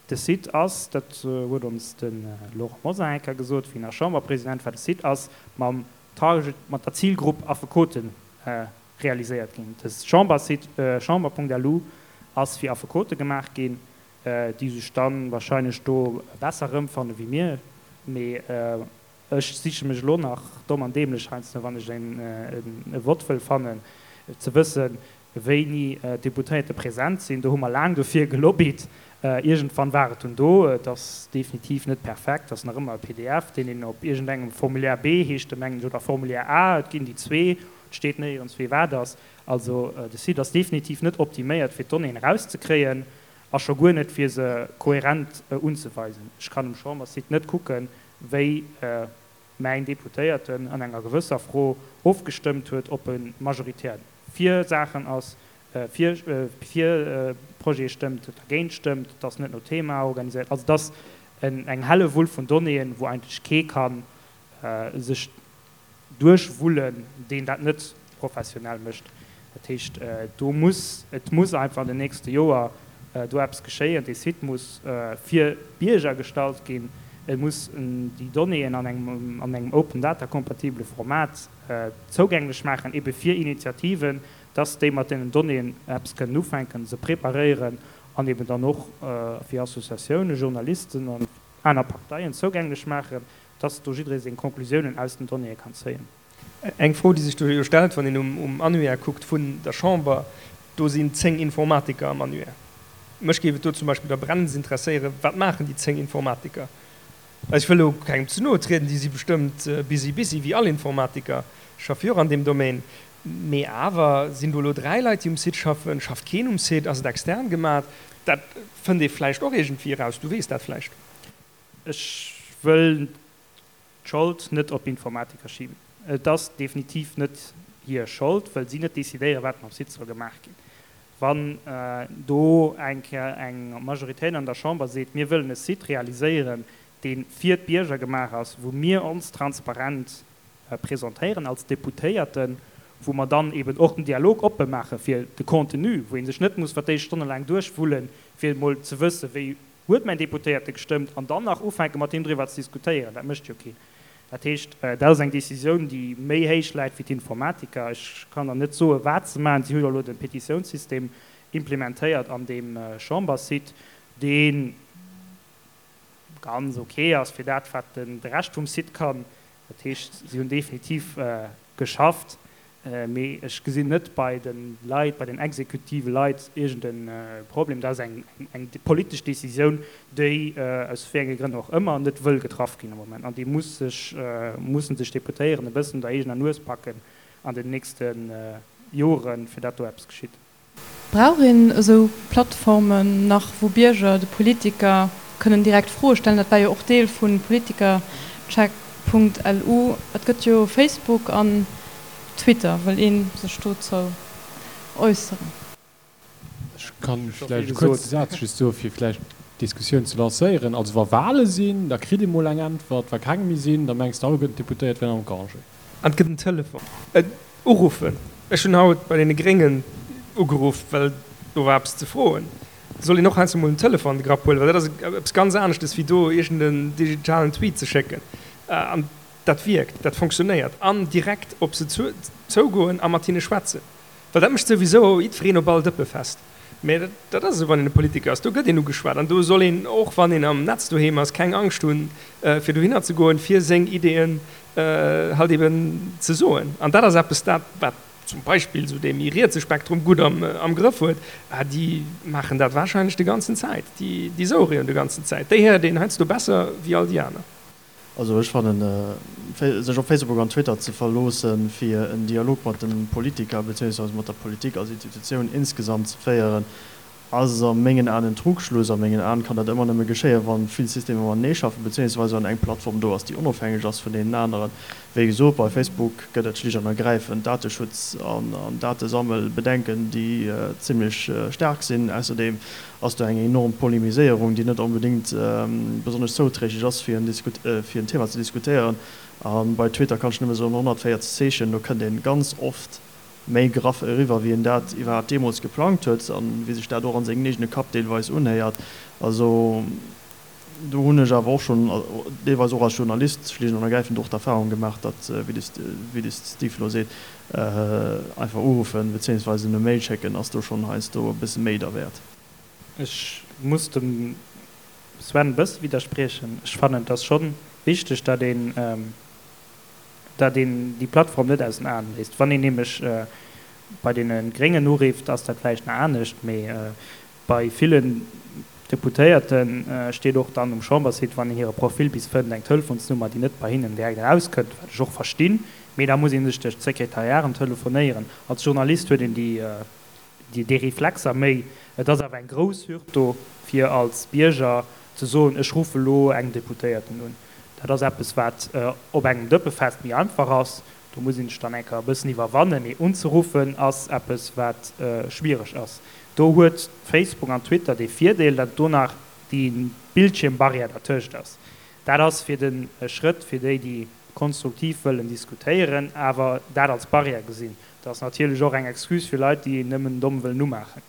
de Site ass, dat huet ons de Laurent Mosar eng Kéier gesot, wéi en nach Chamberpresident war, de Site ass mam Target, mat der Zilgrupp Affekote realiséiert ginn. De Chambersite chamber Punkt L U ass fir Affekote gemaach ginn, déi sech da wahrscheinlech do besser erëmfanne wéi mir. Mee ech siche mech elo nach domm an dämlech heiansdo, wann ech e Vott wëll fannen, ze wëssen, wéini d'Deputéierte present sinn. Do hu mer laang dofir gelobbyt. Iergendwann war et dunn do. Et ass definitiv net perfekt, et ass nach ëmmer e P D F, deen een op iergendengem Formulaire B, heescht e mengen ech, oder Formulaire A, et ginn déi zwee, et steet néierens wéi wat ass. Also de Site ass definitiv net optiméiert, fir d'Donnéeën erauszekréien a scho guer net, fir se kohärent unzeweisen. Ech kann um Chamberssite net kucken, wéi mäin Deputéierten an enger gewësser Fro ofgestëmmt huet, ob e majoritär fir Saachen ass, fir fir Projete stëmmt, dergéint stëmmt. Et ass net no Thema organiséiert. Also et ass eng Hellewull vun Donnéeën, wou eigentlech kee ka sech duerchwullen, deen dat net professionell mécht. Dat heescht, do muss, et muss einfach an den nächste Joer do eppes geschéien. Dee Site muss fir d'Bierger gestallt ginn. Et muss déi Donnéeën an engem an engem Open-Data-kompatibele Format zougänglech maachen, ebe fir Initiativen, dass déi mat deenen Donnéeën eppes kënnen ufänken, se preparéieren an eben dann och fir Associatiounen, Journalisten an aner Parteien zougänglech maachen, dass do jidderee seng Conclusiounen aus den Donnéeë kann zéien. Eng Fro, déi sech do jo stellt, wann een um Annuaire kuckt vun der Chamber, do sinn zéng Informatiker am Annuaire. Mech géif et do zum Beispill da brennends interesséieren, Wat maachen déi zéng Informatiker? Ech wëll elo kengem ze noe trieden, déi si bestëmmt busy busy, wéi all Informatiker, ech schaffe jo och an deem Domaine, mee awer, sinn do elo dräi Leit, déi um Site schaffen, schafft keen um Site, ass et extern gemat? Dat fënnt ee vläicht och iergendwéi eraus, du weess dat vläicht. Ech wëll d'Schold net op Informatiker schiben. Et ass definitiv net hir Schold, wëll si net decidéieren, wat mam Site soll gemaach ginn. Wann do eng Kéier eng Majoritéit an der Chamber seet, mir wëllen e Site realiséieren, dee fir d'Bierger gemaach ass, wou mir ons transparent presentéieren als Deputéierten, wou mer dann eben och den Dialog oppe maache fir de Contenu, wou ee sech net muss fir d'éischt stonnelaang duerchwullen, fir emol ze wëssen, wéi huet mäin Deputéierte gestëmmt, an dann nach ufänke mat him driwwer ze diskutéieren. Dat mécht jo keen. Dat heescht, dat ass eng Décisioun, déi méi héich läit wéi d'Informatiker. Ech kann der net soen, wat se maachen. Si hu jo elo de Petitiounssystem implementéiert an deem Chambersite, dee ganz ok ass fir dat, wat de Rescht vum Site kann. Dat heescht, si hunn definitiv geschafft, mee ech gesinn net bei de Leit, bei den exekutive Leit iergend e Problem. Dat ass eng politesch Decisioun, déi aus wéi enge Grënn och ëmmer net wëll getraff ginn am Moment. An déi muss sech, musse sech d'Deputéierten e bëssen un der eegener Nues packen an den nächste Joren, fir dat do eppes geschitt. Brauch een esou Plattformen nach, wou Bierger de Politiker kënnen direkt Froe stellen? Dat war jo och Deel vu Politikercheck Punkt L U. Et gëtt jo Facebook an Twitter. Wëll ee sech dozou äusseren? Ech kann vläicht e kuerze Saz just soe fir vläicht d'Diskussioun ze lancéieren. Also wa Wahle sinn, da kritt ee mol eng Äntwert. Wa keng méi sinn, da mengs de alleguerten d'Deputéiert wären am Congé. An et gëtt en Telefon. Uruffen. Ech hunn haut bei deene Gréngen ugeruff, well do war eppes ze froen. Da soll een och heiansdo mol den Telefon an de Grapp huelen, well dat ass eppes ganz aneschtes wéi do iergend en digitalen Tweet ze schécken. An dat wierkt, dat fonctionnéiert. An direkt op se zougoen a mat hinne schwätzen, well dat mécht souwisou jiddwereen op all Dëppe fest. Mä dat ass esou, wann een e Politiker ass, do gëtt een ugeschwat an do soll een, och wann een am Netz doheem ass, keng Angscht hunn, fir dohinner ze goen, fir seng Ideeën halt eben ze soen. An dat ass eppes, dat wat zum Beispill esou dee méi rietse Spektrum gutt am Grëff huet, déi maachen dat warscheinlech de ganzen Zäit, déi souere jo de ganzen Zäit, déi héiert een heiansdo besser wéi all déi aner. Also ech fannen, sech op Facebook an Twitter ze verloossen, fir en Dialog mat de Politiker beziéungsweise mat der Politik als Institutioun insgesamt ze féieren, ass a mengen Aen en Trugschluss. A mengen Aen kann dat ëmmer nëmme geschéien, wa vill Systemer matenee schaffen, beziéungsweise wann eng Plattform do ass, déi onofhängeg ass vun deenen aneren. Wéi gesot, bei Facebook gëtt et schlicht an ergräifend Dateschutz an Datesammelbedenken, déi zimlech staark sinn. Ausserdeem ass do eng enorm Polemiséierung, déi net onbedéngt besonnesch zouträglech ass, fir en Thema ze diskutéieren. A bei Twitter kann ech nëmme soen, honnertvéierzeg Zeechen, do kënnt ee ganz oft méi graff eriwwer, wéi een dat iwwerhaapt deemools geplangt huet a wéi sech dat och a sengem eegene Kapp deelweis unhéiert. Also do hunn ech awer och schonn, deelweis och als Journalist, schlicht an ergräifend och d'Erfahrung gemaach, datt, wéi de Steve elo seet, einfach uruffen beziéungsweise e Mail schécken ass do schonn heiansdo e bësse méi derwäert. Ech muss dem Sven e bësse widderspriechen. Ech fannen, et ass scho wichteg, datt een, datt een déi Plattform net aus den Aen léisst. Wann een nämlech bei deene Gréngen urifft, ass dat vläicht nach anescht, mee bei villen Deputéierte steet och dann um Chambersite, wann een hire Profil bis fënnt, eng Telefonsnummer, déi net bei hinnen direkt erauskënnt, wat ech och verstinn, mee da muss ee sech duerch d'Sekretariaten telefonéieren. Als Journalist huet een déi déi Reflexer méi. Et ass awer eng grouss Hürd do, fir als Bierger ze soen, ech ruffe lo engem Deputéierten un. Dat ass eppes, wat op engem Dëppefest méi einfach ass. Do muss een sech dann eng Kéier e bëssen iwwerwannen, mee unzeruffen ass eppes, wat schwiereg ass. Do huet Facebook an Twitter dee Virdeel, datt do nach déi Bildschiermbarrière dertëscht ass. Dat ass fir de Schrëtt fir déi, déi konstruktiv wëllen diskutéieren, awer dat als Barrière gesinn. Dat ass natierlech och eng Excuse fir Leit, déi nëmmen domm wëllen umaachen.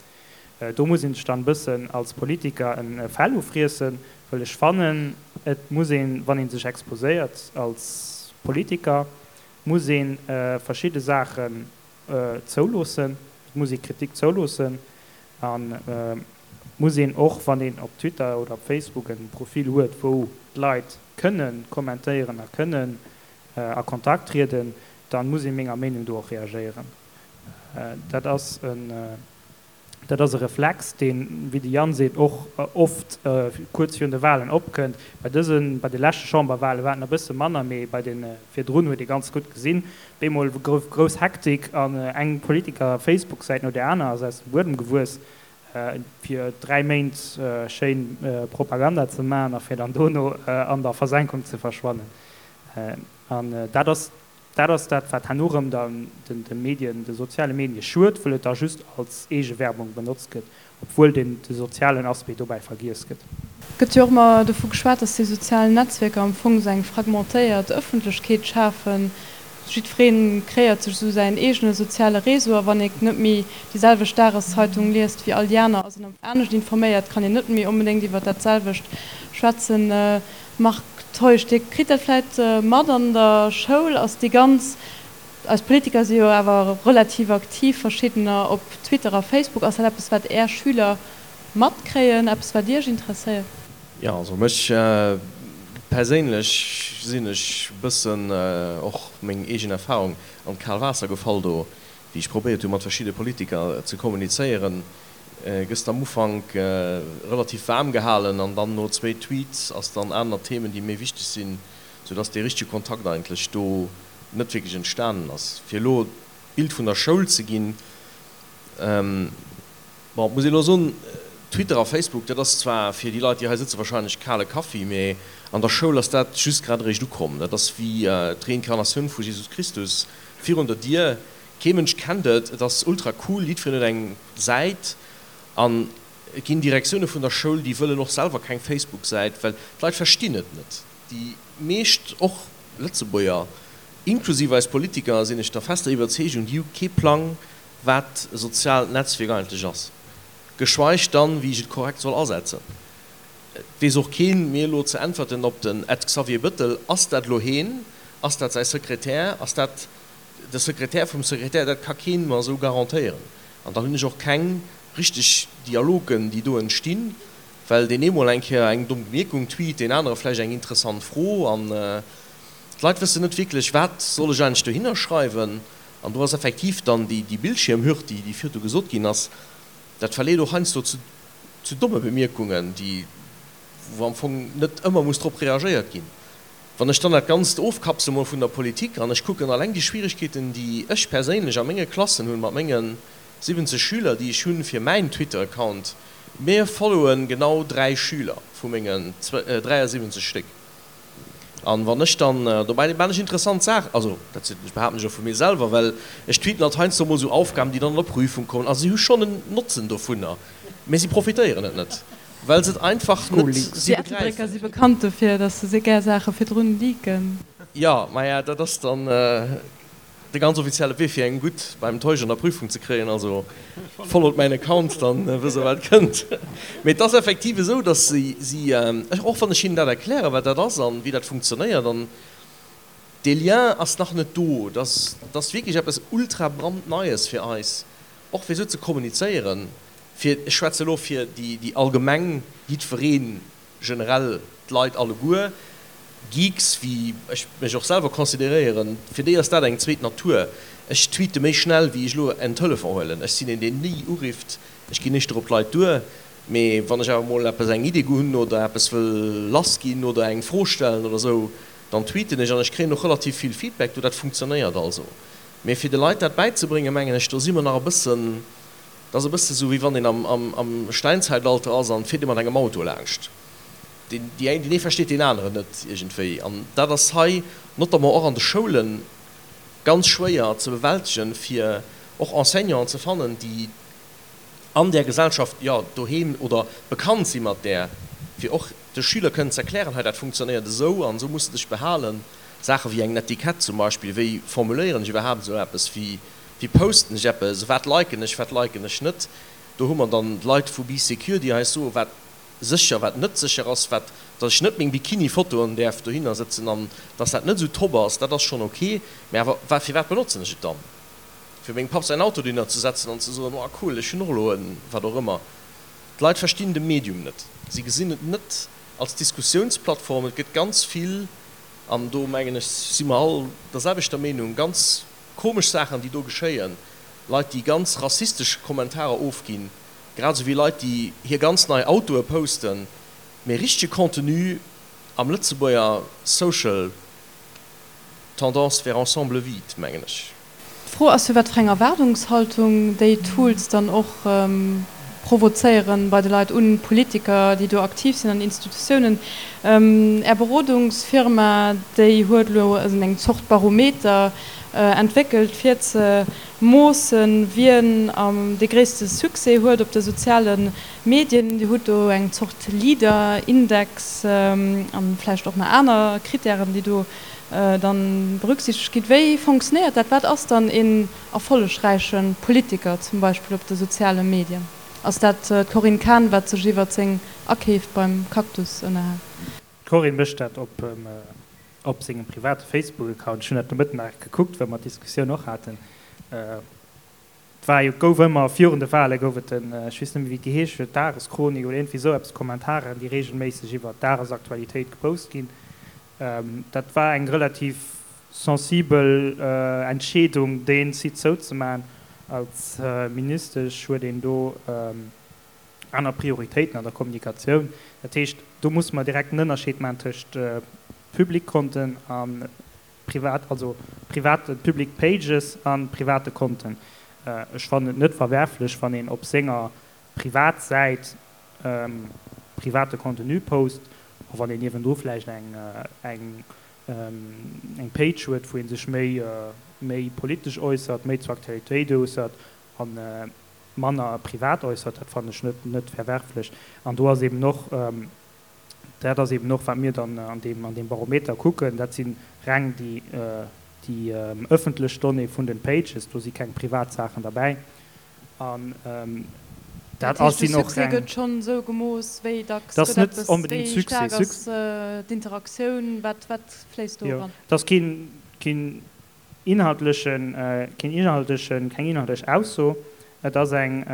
Do muss een sech dann e bëssen als Politiker e Fell ufriessen, wëll ech fannen, et muss een, wann ee sech exposéiert als Politiker, muss ee verschidde Saachen zouloossen, et muss ee Kritik zouloossen an et muss een och, wann een op Twitter oder op Facebook e Profil huet, wou d'Leit kënne kommentéieren a kënnen a Kontakt trieden, dann muss ee menger Meenung do och reagéieren. Dat ass en, dat ass e Reflex, deen, wéi de Yann seet, och oft kuerz virun de Wahlen opkënnt. Bei dësen, bei de leschte Chamberwahle war et nach e bësse manner, mee bei de virdrun huet ee ganz gutt gesinn, op eemol gouf grouss Hektik an eng Politiker-Facebook-Säit no där aner ass aus dem Buedem gewuess, fir dräi Méint schéin Propaganda ze maachen a fir dann dono an der Versenkung ze verschwannen. An dat ass, dat ass dat, wat herno erëm dann de Medien, de soziale Medie schued, wëll et da just als Eegewerbung benotzt gëtt, obwuel den de sozialen Aspect dobäi vergiess gëtt. Et gëtt jo och ëmmer dovu geschwat, dass déi sozial Netzwierker am Fong esou eng fragmentéiert Ëffentlechkeet schafen. Jiddweree kreéiert sech esou säin eegene soziale Réseau a wann ee net méi déi selwecht Dageszeitung liest wéi all déi aner, ass een anescht informéiert, kann een net méi onbedéngt iwwer dat selwecht schwätzen. Marc Teusch, Dir kritt dat vläit mat an der Schoul, ass déi ganz, eis Politiker si jo awer relativ aktiv, verschiddener op Twitter a Facebook, ass dat eppes wat Är Schüler matkréien, eppes wat Iech interesséiert? Jo, also mech perséinlech sinn ech bëssen och meng eegen Erfahrung an d'kal Waasser gefall do, wéi ech probéiert hu mat verschidde Politiker ze kommunizéieren. Gëss de am Ufank relativ waarm gehalen an dann no zwéi Tweets ass dann aner Themen déi méi wichteg sinn, sou dass dee richtege Kontakt eigentlech do net wierklech entstanen ass. Fir elo d'Bild vun der Schoul ze ginn, bon, et muss een elo soen, Twitter a Facebook, dat ass zwar fir déi Leit déi hei sëtze wahrscheinlech kale Kaffi, mee an der Schoul ass dat just grad eréischt ukomm. Dat ass wéi d'Reinkarnatioun vu Jesus Christus virun der Dier, kee Mënsch kennt et, et ass ultra cool, jiddwereen huet eng Säit. An et ginn Direktioune vun der Schoul, déi wëllen och selwer keng Facebook-Säit, well d'Leit verstinn et net. Déi meescht, och Lëtzebuerger, inklusiv eis Politiker, sinn ech der fester Iwwerzeegung, déi hu kee Plang, wat e soziaalt Netzwierk eigentlech ass, geschweig dann, wéi ech et korrekt soll asetzen. Et weess och keen, mir elo ze äntwerten op den Ed Xavier Bëttel, ass dat elo heen, ass dat säi Sekretär, ass dat de Sekretär vum Sekretär, dat ka keen mer esou garantéieren. An dann hunn ech och keng richteg Dialogen, déi do entstinn, well deen ee mol eng Kéier eng domm Bemierkung tweet, deen anere vläicht eng interessant Fro an d'Leit wëssen net wierklech, wat soll ech eigentlech dohinner schreiwen. An do ass effektiv dann déi Bildschiermhürd, déi virdu gesot ginn ass, dat verleet och heiansdo zu domme Bemierkungen, déi, wou am Fong net ëmmer muss drop reagéiert ginn. Wann ech dann dat Ganzt ofkapsele mol vun der Politik an ech kucken alleng déi Schwierigkeeten, déi ech perséinlech a menge Klassen hunn, mat menge siwwenzeg Schüler, déi ech hunn fir mäin Twitter-Account, mir followen genau dräi Schüler vu mengen dräiasiwwenzeg Stéck. An wann ech dann, dobäi maan ech interessant Saachen, also dat sinn, behaapten ech och vu mir selwer, well ech tweeten halt heiansdo mol esou Aufgaben, déi dann an der Prüfung kommen, also si hu schonn en Notzen dovunner, mä si profitéieren et net, well se et einfach net si Déi Ettelbrécker si bekannt dofir, dass se gär Saache virdrun leaken. Jo, maja, dat ass dann de ganz offizielle Wee fir eng gutt beim Teusch an der Prüfung ze kréien, also followt mäin Account, dann wësst der wat kënnt. Mee et ass effektiv esou, dass si, si, och wann ech hinnen dat erklären, wat dat ass an wéi dat funktionéiert, an dee Lien ass nach net do, dass, dat ass wierklech eppes ultra brandneies fir eis, och fir esou ze kommunizéieren, fir, ech schwätze elo fir déi, déi allgemeng, jiddweree generell, d'Leit alleguer, Geeks, wéi ech mech och selwer consideréieren, fir déi ass dat eng zweet Natur. Ech tweete méi schnell, wéi ech elo en Telefon huelen. Ech sinn een, deen ni urifft. Ech ginn éischter op d'Leit duer. Mee wann ech awer mol eppes, eng Idee hunn oder eppes wëll lassginn oder eng Fro stellen oder esou, dann tweeten ech an ech kréien och relativ vill Feedback do. Dat funktionéiert also. Mee fir de Leit dat bäizebréngen, mengen ech, do si mer nach e bëssen, dat ass e bësse sou, wéi wann een am Steinzeitalter ass an et fiert ee mat engem Auto laanscht. Deen deen ee versteet deen aneren net iergendwéi. An dat ass hei notamment och an de Schoule ganz schwéier ze bewältegen, fir och Enseignanten ze fannen, déi an där Gesellschaft, jo, doheem oder bekannt si mat där, fir och de Schüler kënnen ze erklären, hei dat funktionéiert esou an esou muss de dech behalen. Saache wéi eng Netiquette zum Beispill, wéi formuléieren ech iwwerhaapt esou eppes, wéi wéi posten ech eppes, wat liken ech, wat liken ech net. Do hu mer dann d'Leit vu Bee Secure, déi eis soen, wat sécher, wat net sécher ass, wat, dass ech net meng Bikini-Fotoen däerf dohinner sëtzen an dass dat net esou top ass, dat ass schonn ok. Mä awer wa, firwat benotzen ech et dann? Fir mengem Papp säin Auto dohinner ze setzen an ze soen, oh cool, ech hunn och elo en, wat och ëmmer. D'Leit verstinn de Medium net. Si gesinn et net als Diskussiounsplattform. Et gëtt ganz vill, an do mengen ech si mer all der selwechter Meenung, ganz komesch Saachen, déi do geschéien, Leit, déi ganz rassistesch Kommentarer ofginn, grad esou wéi Leit, déi hir ganz nei Autoe posten, mee richtege Contenu am Lëtzebuerger Social Tendance vers ensemble vide, mengen ech. D'Fro ass jo, wat fir eng Erwaardungshaltung déi Tools dann och provozéieren bei de Leit, un Politiker, déi do aktiv sinn an Institutiounen. Är Berodungsfirma, déi huet elo eng Zort Barometer entwéckelt, fir ze moossen, wien dee gréisste Succès huet op de soziale Medien. Dir hutt do eng Zort Leader-Index a vläicht och nach aner Krittären, déi do dann berücksichtegt ginn. Wéi fonctionnéiert dat? Wat ass dann een erfollegräiche Politiker zum Beispill op de soziale Medien? Ass dat d'Corinne Cahen, wat sech iwwert seng Akeef beim Cactus ënnerhält? D'Corinne mécht dat op op sengem private Facebook-Account. Ech hunn dat de Mëtten nach gekuckt, well mer d'Diskussioun och haten. Et war jo, gouf ëmmer, virun de Wale gouf et en, ech weess net méi wéi et geheescht huet, Dageschronik oder iergendwéi esou eppes, Kommentaren, déi reegelméisseg iwwer d'Dagesaktualitéit gepost ginn. Dat war eng relativ sensibel Entscheedung, dee Site zouzemaachen. Als Ministesch huet een do aner Prioritéiten an der Kommunikatioun. Dat heescht, do musse mer direkt en Ënnerscheed maachen tëscht Public Konten a privat, also private Public Pages a private Konten. Ech fannen et net verwerflech, wann een op senger Privatsäit private Contenu post, och wann een niewendru vläicht eng eng eng Page huet, wou ee sech méi méi politesch äussert, méi zur Aktualitéit äussert a manner privat äussert. Dat fannen ech net net verwerflech. An do ass eben och, dat ass eben och, wat mir dann an deem an deem Barometer kucken, dat si reng déi déi ëffentlech Donnée vun den Pages, do si keng privat Saachen derbäi an dat ass sinn och reng. Gëtt schonn esou gemooss, wéi dacks gëtt eppes, wéi staark ass d'Interaktioun, wat wat fléisst do eran? Jo, et ass keen keen inhaltlechen keen inhaltlechen keng inhaltlech Ausso, et ass eng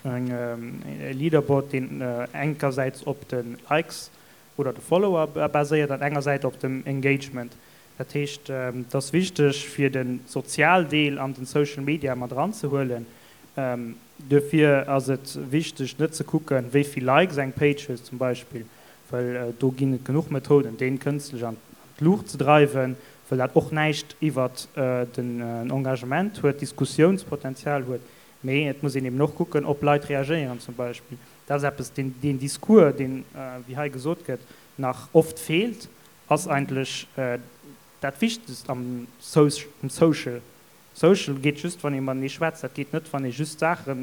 eng e Leaderboard, deen enkersäits op de Likes oder de Follower baséiert an engersäits op dem Engagement. Dat heescht, et ass wichteg, fir de Sozialdeel an den Social Media mat eranzehuelen. Duerfir ass et wichteg, net ze kucken, wéi vill Likes eng Page huet zum Beispill, well do ginn et genuch Methoden, dee kënstlech an d'Luucht ze dreiwen, well dat och näischt iwwert den Engagement huet, Diskussiounspotenzial huet. Mee et muss een eben och kucken, ob Leit reagéieren zum Beispill. Dat ass eppes, deen, deen Discours, deen, wéi hei gesot gëtt, nach oft feelt, ass eigentlech dat Wichtegst am Social. Social geet just, wann ee matenee schwätzt. Dat geet net, wann ee just Saache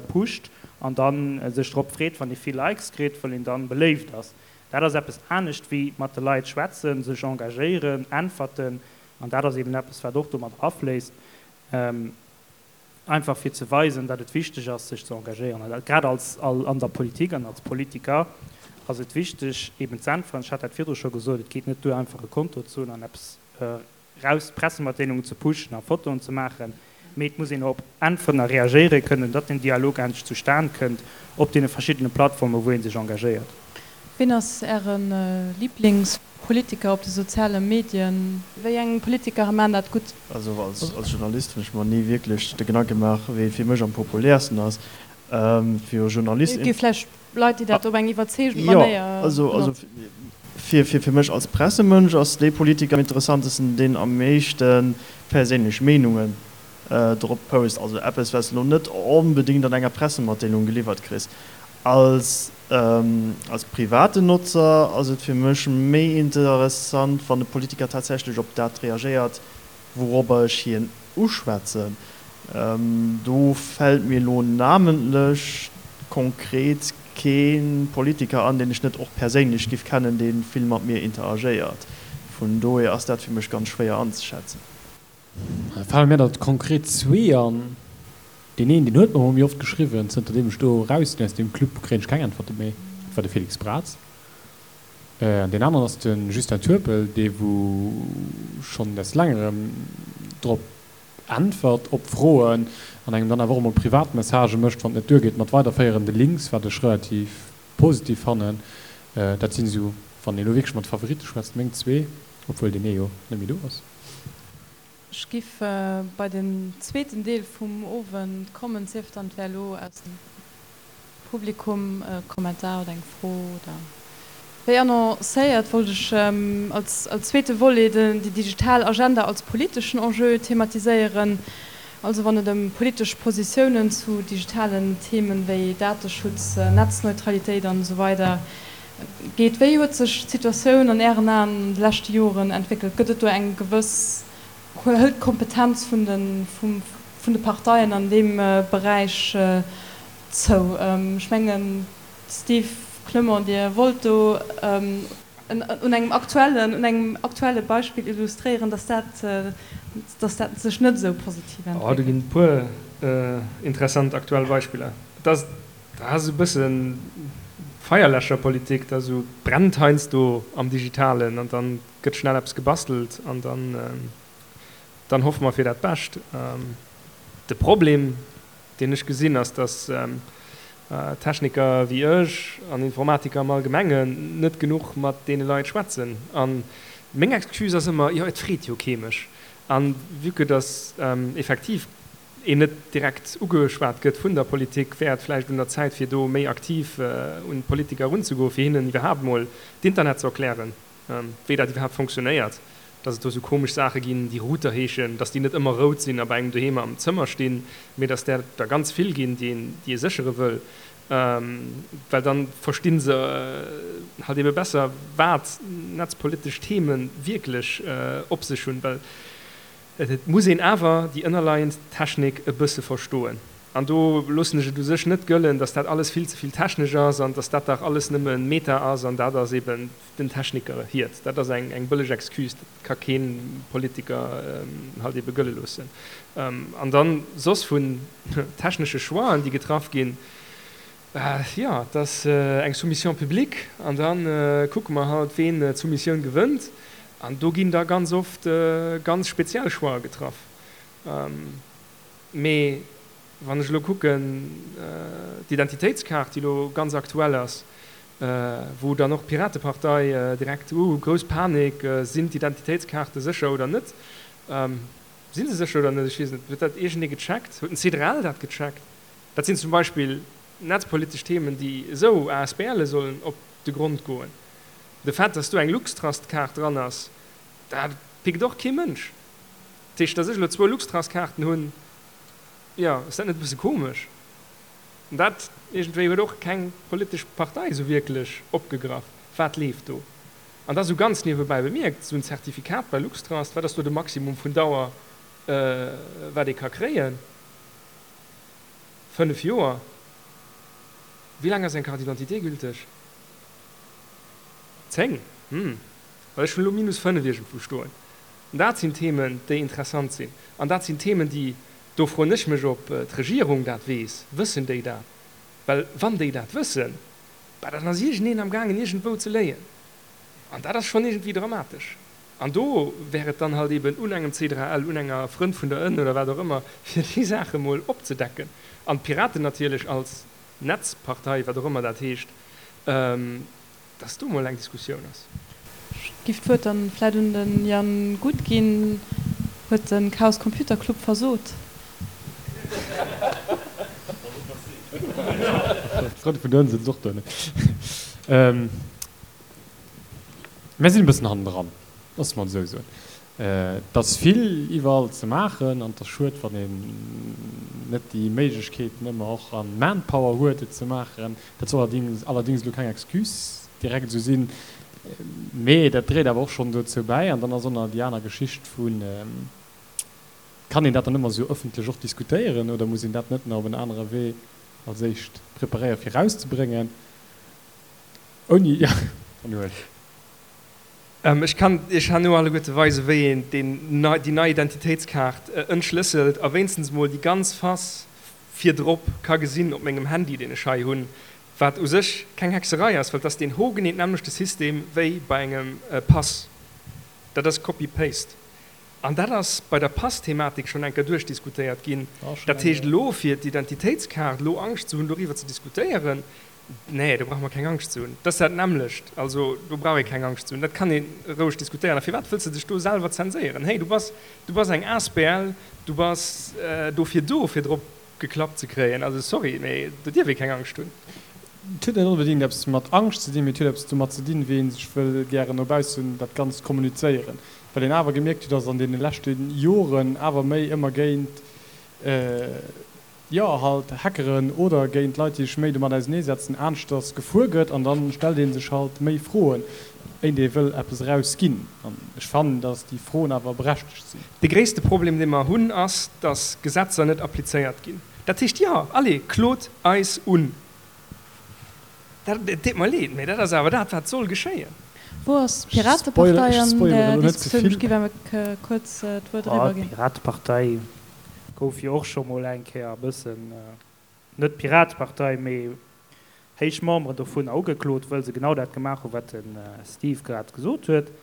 pusht an da sech drop freet, wann ee vill Likes kritt, well een da beléift ass. Dat ass eppes anescht wéi mat de Leit schwätzen, sech engagéieren, äntwerten. An dat ass eben eppes, wat och do mat afléisst. Einfach fir ze weisen, datt et wichteg ass, sech ze engagéieren. An grad als an der Politik an als Politiker ass et wichteg, eben z'äntweren. Ech hat dat virdru scho gesot, et geet net duer, einfach e Konto ze hunn an eppes raus, Pressematdeelungen ze pushen a Fotoen ze maachen, mee et muss een och äntweren a reagéiere kënnen, datt den Dialog endlech zustan kënnt op deene verschiddene Plattformen, wou ee sech engagéiert. Ween ass Äre Liblingspolitiker op de soziale Medien? Wéi eng Politiker maan dat gutt? Also als Journalist hunn ech mer ni wierklech de Gedanke gemaach, wee fir mech am populäersten ass. Fir e Journalist. Et gi vläicht Leit, déi dat op eng iwwerzeegend Manéier Jo, also fir mech als Pressemënsch ass dee Politiker am interessantesten, deen am meeschte perséinlech Meenungen drop post. Also eppes, wat s de elo net onbedéngt an enger Pressematdeelung geliwwert kriss. Als als privaten Notzer ass et fir mech méi interessant, wann e Politiker tatsächlech op dat reagéiert, wouropper ech hien uschwätzen. Do fält mir elo namentlech konkret kee Politiker an, deen ech net och perséinlech giff kennen, dee vill mat mir interagéiert. Vun dohier ass dat fir mech ganz schwéier anzeschätzen. Da fale mir der konkret zwee an. Deen een, deen huet mer emol méi oft geschriwwen. Zënter deem ech do eraus sinn aus deem Club, kréien ech keng Äntwerte méi. Dat war de Félix Braz. An deen aneren ass de Justin Turpel, dee wou schonn des längerem drop äntwert op Froen an engem dann awer och emol privat Messagë mécht, wann et net duergeet mat weiderféierende Links, wat ech relativ positiv fannen. Dat sinn esou, wann een elo wierklech mat Favoritte schwätzt, meng zwee, obwuel deen ee jo net méi do ass. Ech giff bei den zweeten Deel vum Owend kommen, sief dann et wär elo aus dem Publikum e Kommentar oder eng Fro oder. Wéi annoncéiert, wollt ech als als zweete Volet déi digital Agenda als politeschen Enjeu thematiséieren. Also wann et ëm politesch Positiounen zu digitalen Themen wéi Dateschutz, Netzneutralitéit an esou weider geet. Wéi huet sech d'Situatioun an Ären Aen an de leschte Joren entwéckelt? Gëtt et do eng gewëss, hëlt d'Kompetenz vun de vun de Parteien an deem Beräich zou? Ech mengen, Steve Clement, Dir wollt do un engem aktuellen, un engem aktuelle Beispill illustréieren, dass dat, dass dat sech net esou positiv Oh, do entwéckelt. ginn et e puer interessant aktuell Beispiller. Et ass, dat ass esou e bësse Feierläscherpolitik, da sou brennt heiansdo am Digitalen an dann gëtt schnell eppes gebastelt an dann, dann hoffe mer fir dat Bescht. De Problem, deen ech gesinn, ass, dass Techniker wéi ech an Informatiker am Allgemengen net genuch mat deene Leit schwätzen. A meng Excuse ass ëmmer, jo, et freet jo kee mech. A vue que dass effektiv een net direkt ugeschwat gëtt vun der Politik, wär et vläicht un der Zäit, fir do méi aktiv un d'Politiker erunzegoen, fir hinnen iwwerhaapt emol d'Internet ze erklären, wéi dat iwwerhaapt fonctionnéiert, dass et do esou komesch Saache ginn, déi Router heeschen, dass déi net ëmmer rout sinn a bei engem doheem am Zëmmer stinn, mee dass där der ganz vill ginn, déi een, déi ee séchere wëll, well dann versti se halt ebe besser, wat netzpolitesch Theme wierklech op sech hunn, well et muss een awer déi ënnerleiend Technik e bësse verstoen. An do loossen ech et u sech net gëllen, dass dat alles vill ze vill technesch ass an dass dat dach alles nëmme Meta ass an dat ass eben den Techniker hiert. Dat ass eng eng bëlleg Excuse, dat ka kee Politiker halt ebe gëlle loossen. An dann soss vun technesche Choixen, déi getraff ginn, jo, et ass eng Soumission publique an da kucke mer halt, ween d'Soumissioun gewënnt. An do ginn da ganz oft ganz speziell Choixë getraff. Mee wann ech elo kucken, d'Identitéitskaart, déi elo ganz aktuell ass, wou dann och d'Piratepartei direkt, uh, grouss Panik, sinn d'Identitéitskaarte sécher oder net? Si se sécher oder net? Ech weess net. Huet dat iergendee gecheckt? Huet den C D R L dat gecheckt? Dat sinn zum Beispill netzpolitesch Themen, déi esou A S B Le sollen op de Grond goen. De Fait, dass do eng LuxTrust-Kaart dran ass, dat pickt och kee Mënsch. Dat heescht, dass ech elo zwou LuxTrust-Kaarten hunn, jo, ass dat net e bësse komesch? An dat iergendwéi huet och keng politesch Partei esou wierklech opgegraff. Wat leeft do? An da sou ganz niewebäi bemierkt, esou en Zertifikat bei LuxTrust, wat ass do de Maximum vun Dauer, wat ee ka kréien? Fënnef Joer? Wéi laang ass eng Carte d'identité gülteg? Zéng? Hm, well ech hunn elo minus fënnef iergendwou stoen. An dat sinn Themen, déi interessant sinn. An dat sinn Themen, déi, do froen ech mech, ob d'Regierung dat weess. Wëssen déi dat? Well wann déi dat wëssen, bah, dann ass iergendeen amgaangen, iergendwou ze léien. An dat ass schonn iergendwéi dramatesch. An do wär et dann halt eben un engem C D R L, un enger Frënn vun der Ënn oder wat och ëmmer, fir déi Saache mol opzedecken. An d'Piraten natierlech als Netzpartei, wat och ëmmer dat heescht, dass do mol eng Diskussioun ass. Ech giff d'Wuert dann vläit un den Yann Guth ginn. Huet den Chaos Computer Club versot? D'Frënn vun der Ënn sëtzt och do, ne? Mir sinn e bëssen hannendran, loosse mer et esou soen. Et ass vill iwwerall ze maachen an et ass schued, wann een net déi Méiglechkeeten ëmmer och an Manpower huet, et ze maachen. Dat soll allerdings, allerdings elo keng Excuse direkt esou sinn, mee dat dréit awer och schonn dozou bäi. An dann ass och nach déi aner Geschicht vun, kann een dat dann ëmmer esou ëffentlech och diskutéieren oder muss een dat net nach op en anere Wee als éischt preparéieren, fir erauszebréngen? Ouni, ja, dann huel. Ech kann Iech herno alleguerte weisen, wéi een deen nei, déi nei Identitéitskaart entschlësselt a wéinstens mol déi ganz Face virdrop ka gesinn op mengem Handy, deen ech hei hunn, wat u sech keng Hexerei ass, well et ass deen hogenee d'nämmlechte System wéi bei engem Pass. Dat ass Copy-Paste. An dat ass bei der Pass-Thematik schonn eng Kéier duerchdiskutéiert ginn. Dat heescht, elo fir d'Identitéitskaart elo Angscht ze hunn, doriwwer ze diskutéieren, nee, do brauche mer keng Angscht ze hunn. Dat ass dat nämmlecht. Also do brauch ee keng Angscht ze hunn. Dat kann ee roueg diskutéieren. A firwat wëlls de dech do selwer zenséieren? Hey, du bass, du bass eng A S B L, du bass dofir do, fir drop geklappt ze kréien. Also sorry, mee do dierf ee keng Angscht hunn. Et huet net onbedéngt eppes mat Angscht ze dinn, mee et huet eppes domat ze dinn, wéi ee sech wëll gären no baussen dat Ganzt kommunizéieren. Well een awer gemierkt huet, dass an deene leschte Joren awer méi ëmmer géint, jo, halt Hackeren oder géint Leit, déi sech méi domat auseneesetzen, aneschters gefuer gëtt. An dann stellt ee sech halt méi Froen, éint ee wëll eppes erausginn. An ech fannen, dass déi Froen awer berechtegt sinn. De gréisste Problem, dee mer hunn, ass, dass Gesetzer net applizéiert ginn. Dat heescht, jo, allez, klot eis un. Dat, et deet mer leed, mee dat ass awer dat, wat soll geschéien. Wou ass d'Piratepartei an der Diskussioun? Ech géif awer kuerz d'Wuert eriwwerginn. D'Piratepartei gouf jo och scho mol eng Kéier e bëssen, net d'Piratepartei, mee héich Memberen dovunner ugeklot, wëll se genau dat gemaach hunn, wat de Steve grad gesot huet.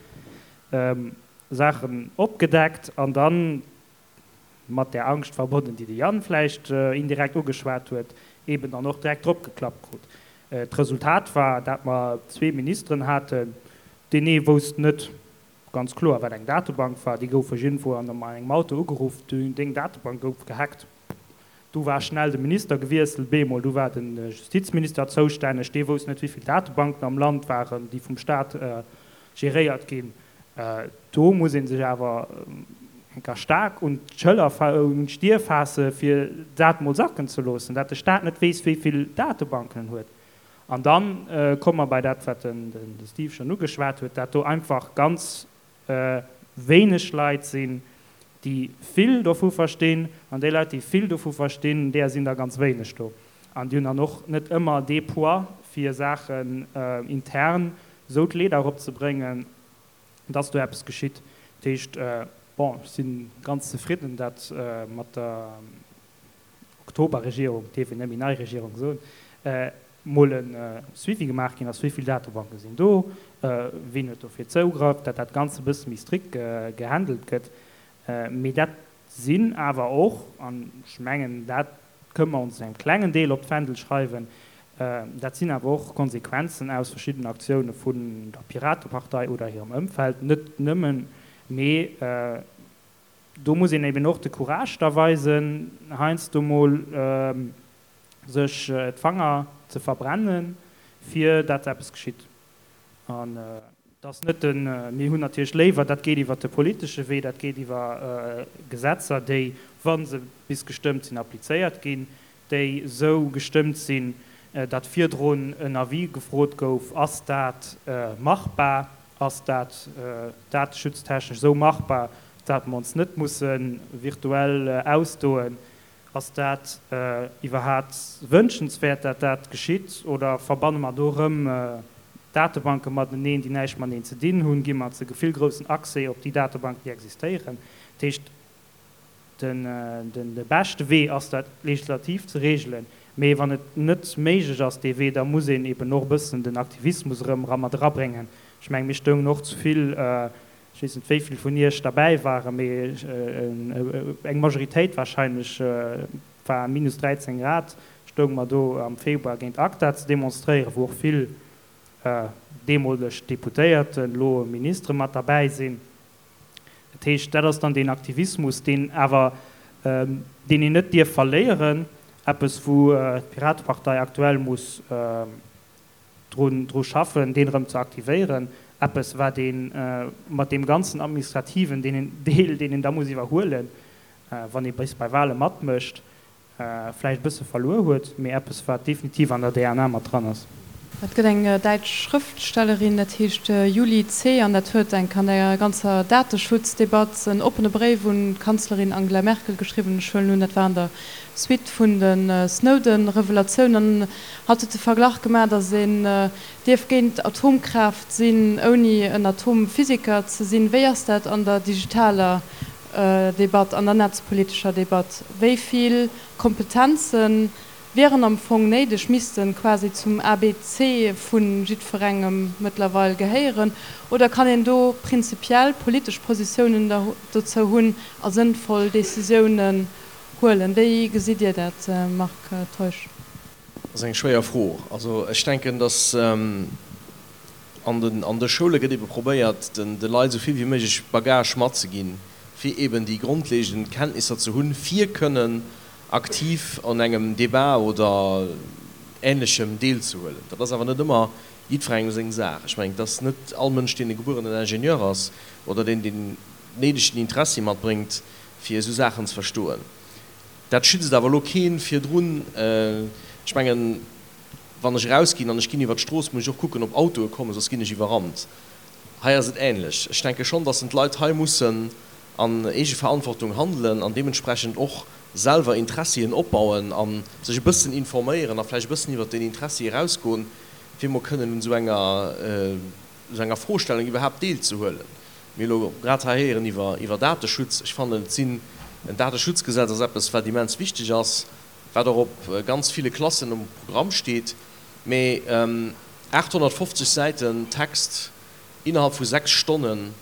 Saachen opgedeckt an dann mat der Angscht verbonnen, déi de Yann vläicht indirekt ugeschwat huet, eben dann och direkt drop geklappt krut. D'Resultat war, dat mer zwee Ministeren haten, deen ee wousst net ganz kloer, wat eng Datebank war, déi goufe iergendwou an engem Auto ugeruff, deng Datebank gouf gehackt. Du war schnell de Minister gewiesselt, bemol, du war den Justizminister zoustänneg, dee wousst net, wéi vill Datebanken am Land waren, déi vum Staat geréiert ginn. Do muss ee sech awer enker staark un d'Schëller fa-, un d'Stier faasse, fir dat mol sacken ze loossen, dat de Staat net weess, wéi vill Datebanken en huet. An dann komme mer bei dat, wat den, den Steve schon ugeschwat huet, dat do einfach ganz wéineg Leit sinn, déi vill dovu verstinn, an déi Leit, déi vill dovu verstinn, deeër sinn der ganz wéineg do. An déi hunn dann och net ëmmer dee Poids, fir Saachen intern esou d'Leeder eropzebréngen, dass do eppes geschitt. Dat heescht, bon, ech si ganz zefridden, dat mat der Oktoberregierung, dierf een net méi nei Regierung soen, mol e Suivi gemaach ginn ass, wéi vill Datebanke sinn do, wien huet dofir Zougrëff, datt dat Ganzt e bësse méi strikt gehandelt gëtt. Mee dat sinn awer och, an ech mengen, dat kënne mer ons engem klengen Deel op d'Fändel schreiwen, dat sinn awer och Konsequenzen aus verschiddenen Aktioune vun der Piratepartei oder hirem Ëmfeld, net nëmmen, mee do muss een eben och de Courage da weisen, heiansdo mol sech d'Fanger ze verbrennen, fir dat eppes geschitt. An et ass net den, mir hunn natierlech léiwer, dat geet iwwert de politesche Wee, dat geet iwwer Gesetzer, déi, wa se bis gestëmmt sinn, applizéiert ginn, déi esou gestëmmt sinn, datt virdrun en Avis gefrot gouf, Ass dat machbar, ass dat dateschutztechnesch esou machbar, dat mer ons net musse virtuell ausdoen? Ass dat iwwerhaat wënschenswäert, dat dat geschitt, oder verbanne mer do erëm Datebanke mateneen, déi näischt mateneen ze dinn hunn? Gi mer ze vill groussen Accès op déi Datebanken, déi existéieren? Dat heescht, de beschte Wee ass, dat legislativ ze regelen. Mee wann et net méiglech ass, dee Wee, da muss een eben och e bëssen den Aktivismus erëm mat erabréngen. Ech mengen, mir stoungen och zu vill, ech weess net, wéi vill vun Iech derbäi waren, mee eng Majoritéit wahrscheinlech, war minus dräizéng Grad, stounge mer do am Februar géint ACTA ze demonstréieren, wou och vill deemoleg Deputéierten, elo Ministere mat derbäi sinn. Dat heescht, dat ass dann deen Aktivismus, deen awer, deen een net dierf verléieren, eppes wou d'Piratepartei aktuell muss drun dru schaffen, deen erëm ze aktivéieren, eppes wat ee mat deem ganzen administrativen deen een Deel, deen een da muss iwwerhuelen, wann ee bis bei Wahle matmécht, vläicht e bësse verluer huet, mee eppes wat definitiv an der D N A mat dran ass. Et gëtt eng däitsch Schrëftstellerin, dat heescht Juli Zeh, an dat huet eng an der ganzer Dateschutzdebatt en oppene Bréif un d'Kanzlerin Angela Merkel geschriwwen. Ech huelen un, dat war an der Suite vun de Snowden-Revelatiounen. An hatt huet de Verglach gemaach, datt een dierf géint Atomkraaft sinn, ouni en Atomphysiker ze sinn. Wéi ass dat an der digitaler Debatt, an der netzpolitescher Debatt? Wéi vill Kompetenzen wieren am Fong néideg, missten quasi zum A B C vu jiddwerengem mëttlerweil gehéieren? Oder kann een do prinzipiell politesch Positiounen dozou hunn a sënnvoll Decisiounen huelen? Wéi gesitt Dir dat, Marc Teusch? Dat ass eng schwéier Fro. Also ech denken, dass an den, an de Schoule gëtt ebe probéiert, den, de Leit esou vill wéi méiglech Bagage matzeginn, fir eben déi grondlegend Kenntnisser ze hunn, fir kënnen aktiv an engem Debat oder Ähnlechem deelzehuelen. Dat ass awer net ëmmer jiddwerengem seng Saach. Ech mengen, et ass net all Mënsch, deen e gebuerenen Ingenieur ass oder deen den néidegen Interessi matbréngt, fir esou Saachen ze verstoen. Dat schützt awer elo keen virdrun. Ech mengen, wann ech erausginn an ech ginn iwwer d'Strooss, muss ech och kucken, ob Autoe kommen, soss ginn ech iwwerrannt. Hei ass et ähnlech. Ech denke schonn, dass d'Leit hei mussen an Eegeverantwortung handelen an deementsprechend och selwer Interessien opbauen an sech e bëssen informéieren a vläicht e bëssen iwwer den Interessi erausgoen, fir mol kënnen un esou enger, esou enger Froestellung iwwerhaapt deelzehuelen. Mir elo grad hei héieren iwwer, iwwer Dateschutz. Ech fannen, et sinn, en Dateschutzgesetz ass eppes, wat immens wichteg ass, wat och op ganz ville Klassen um Programm steet, mee achthonnertfofzeg Säiten Text innerhalb vu sechs Stonnen,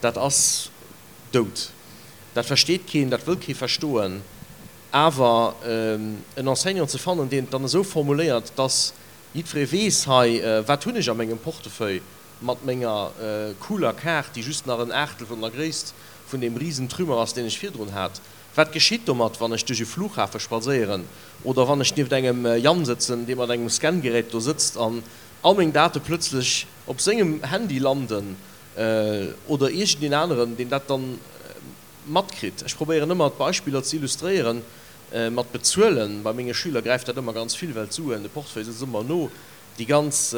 dat ass dout. Dat versteet keen, dat wëll kee verstoen. Awer en Enseignant ze fannen, deen et dann esou formuléiert, dass jiddweree weess, hei, wat hunn ech a mengem Portefeuille mat menger cooler Kaart, déi just nach en Aachtel vun der Gréisst vun deem Riesentrümmer ass, deen ech virdrun hat. Wat geschitt domat, wann ech duerch e Flughafe spadséieren oder wann ech nieft engem Jan sëtzen, dee mat engem Scangerät do sëtzt an all meng Date plötzlech op sengem Handy landen, oder iergendeen aneren, deen dat dann matkritt. Ech probéieren ëmmer, d'Beispiller ze illustréieren mat Bezuelen. Bei menge Schüler gräift dat ëmmer ganz vill, well d'Suen, de Portefeuille sëtzt ëmmer no. Déi ganz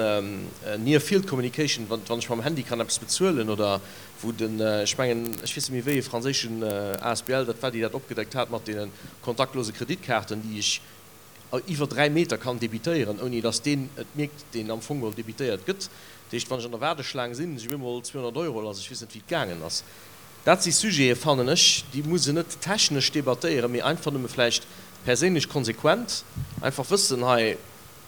Near Field Communication, wann ech mam Handy kann eppes bezuelen oder wou den, ech mengen, ech weess net méi wéi e franséischen asbl dat war, déi dat opgedeckt hat mat deene kontaktlose Kreditkaarten, déi ech iwwer dräi Meter kann debitéieren, ouni datt deen et mierkt, deen am Fong geholl debitéiert gëtt. Dat heescht, wann ech an der Waardeschlaang sinn, si op eemol zweehonnert Euro lass, ech weess net wéi et gaangen ass. Dat si Sujete, fannen ech, déi muss een net technesch debattéieren, mee einfach nëmme vläicht perséinlech konsequent einfach wëssen, hei,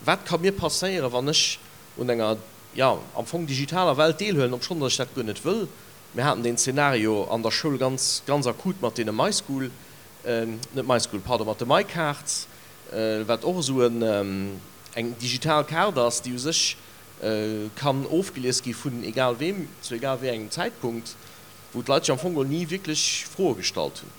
wat ka mir passéieren, wann ech un enger, jo, am Fong digitaler Welt deelhuelen, obschonn datt ech dat guer net wëll. Mir haten deen Zeenario an der Schoul ganz, ganz akut mat deene MySchool, net MySchool, pardon, mat de MyCards, wat och esou eng digital Kaart ass, déi u sech kann ofgelies gi vun egal weem, zu egal wéi engem Zäitpunkt. wou d'Leit sech am Fong geholl ni wierklech Froe gestallt hunn.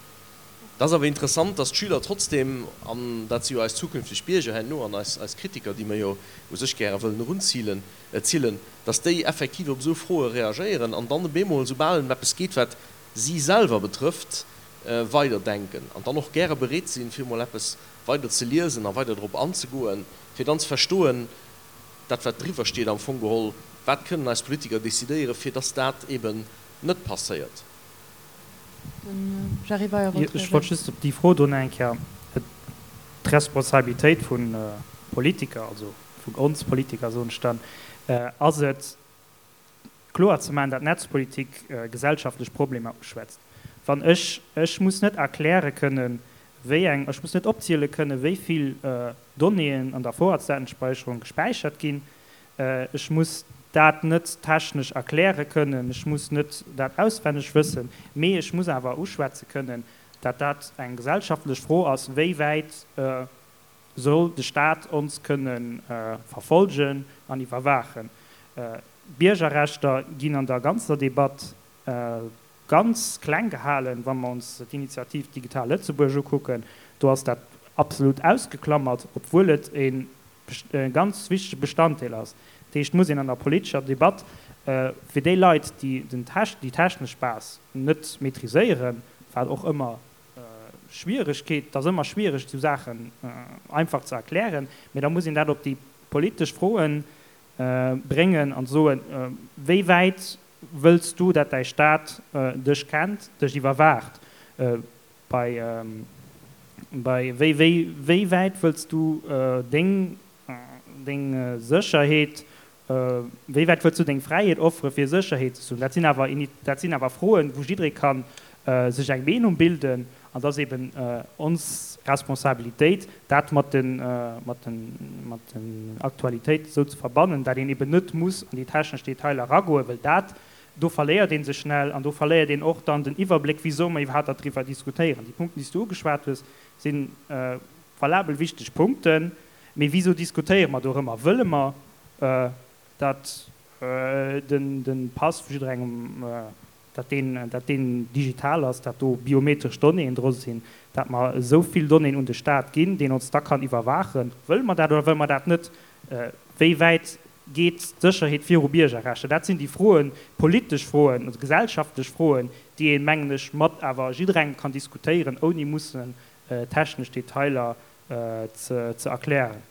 Et ass awer interessant, dass d'Schüler trotzdem, an dat si jo eis zukünfteg Bierger herno an eis eis Kritiker, déi mer jo u sech gäre wëllen erunzillen, zillen, dass déi effektiv op esou Froe reagéieren an dann op eemol, soubal et ëm eppes geet, wat si selwer betrëfft, weiderdenken an dann och gäre bereet sinn, fir emol eppes weider ze liesen a weider drop anzegoen, fir dann ze verstoen, dat wat driwwer steet am Fong geholl, wat kënnen eis Politiker decidéieren, fir dass dat eeben net passéiert. Den Jerry Weyer wollt Ech wollt reagéieren. just op déi Fro do nach eng Kéier, D'Responsabilitéit vu Politiker, also vun ons Politiker soen ech dann, ass et, kloer ze maachen, datt Netzpolitik gesellschaftlech Problemer uschwätzt. Wann ech, ech muss net erkläre kënnen, wéi eng, ech muss net opziele kënnen, wéi vill Donnéeën an der Vorratsdatenspeicherung gespäichert ginn, Ech muss dat net technesch erkläre kënnen, ech muss net dat auswenneg wëssen, mee ech muss awer uschwätze kënnen, dat dat eng gesellschaftlech Fro ass, Wéi wäit soll de Stat ons kënne verfolgen an iwwerwaachen? D'Biergerrechter ginn an der ganzer Debatt ganz kleng gehalen. Wa mer ons d'Initiativ Digital Lëtzebuerg ukucken, do ass dat absolut ausgeklammert, obwuel et e ganz wichtege Bestanddeel ass. Dat heescht, et muss een an der politescher Debatt fir déi Leit, déi déi technesch Base net maîtriséieren, wat och ëmmer Schwieregkeet, et ass ëmmer schwiereg, esou Saachen einfach ze erklären, mä da muss een dat op déi politesch Froe bréngen an soen, Wéi wäit wëlls du, dat däi Staat dech kennt, dech iwwerwaacht? Bei, bei, wéi, wéi, wéi wäit wëlls du deng, deng Sécherheet, wéi wäit wëlls du deng Fräiheet offere fir Sécherheet ze hunn? Dat sinn awer, dat sinn awer Froen, wou jidderee ka sech eng Meenung bilden, an et ass eben ons Responsabilitéit, dat mat den, mat den, mat den Aktualitéiten esou ze verbannen, dat een eben net muss an déi technesch Detailer eragoen, well dat Do verléiert ee sech schnell an do verléiert een och dann den Iwwerbléck, wisou mer iwwerhaapt doriwwer diskutéieren. Déi Punkten, déi s du ugeschwat hues, si valabel wichteg Punkten, mee wisou diskutéiere mer dorëmmer? Wëlle mer, datt de Pass vu jidderengem, datt deen, datt deen digital ass, datt do biometresch Donnéeën dru sinn, datt mer esou vill Donnéeën un de Staat ginn, deen ons da kann iwwerwaachen? Wëlle mer dat oder wëlle mer dat net? Wéi wäit Geet d'Sécherheet viru Biergerrechter? Dat sinn déi Froen, politesch Froen, also gesellschaftlech Froen, déi een, mengen ech, mat awer jidderengem kann diskutéieren, ouni mussen technesch Detailer ze erklären.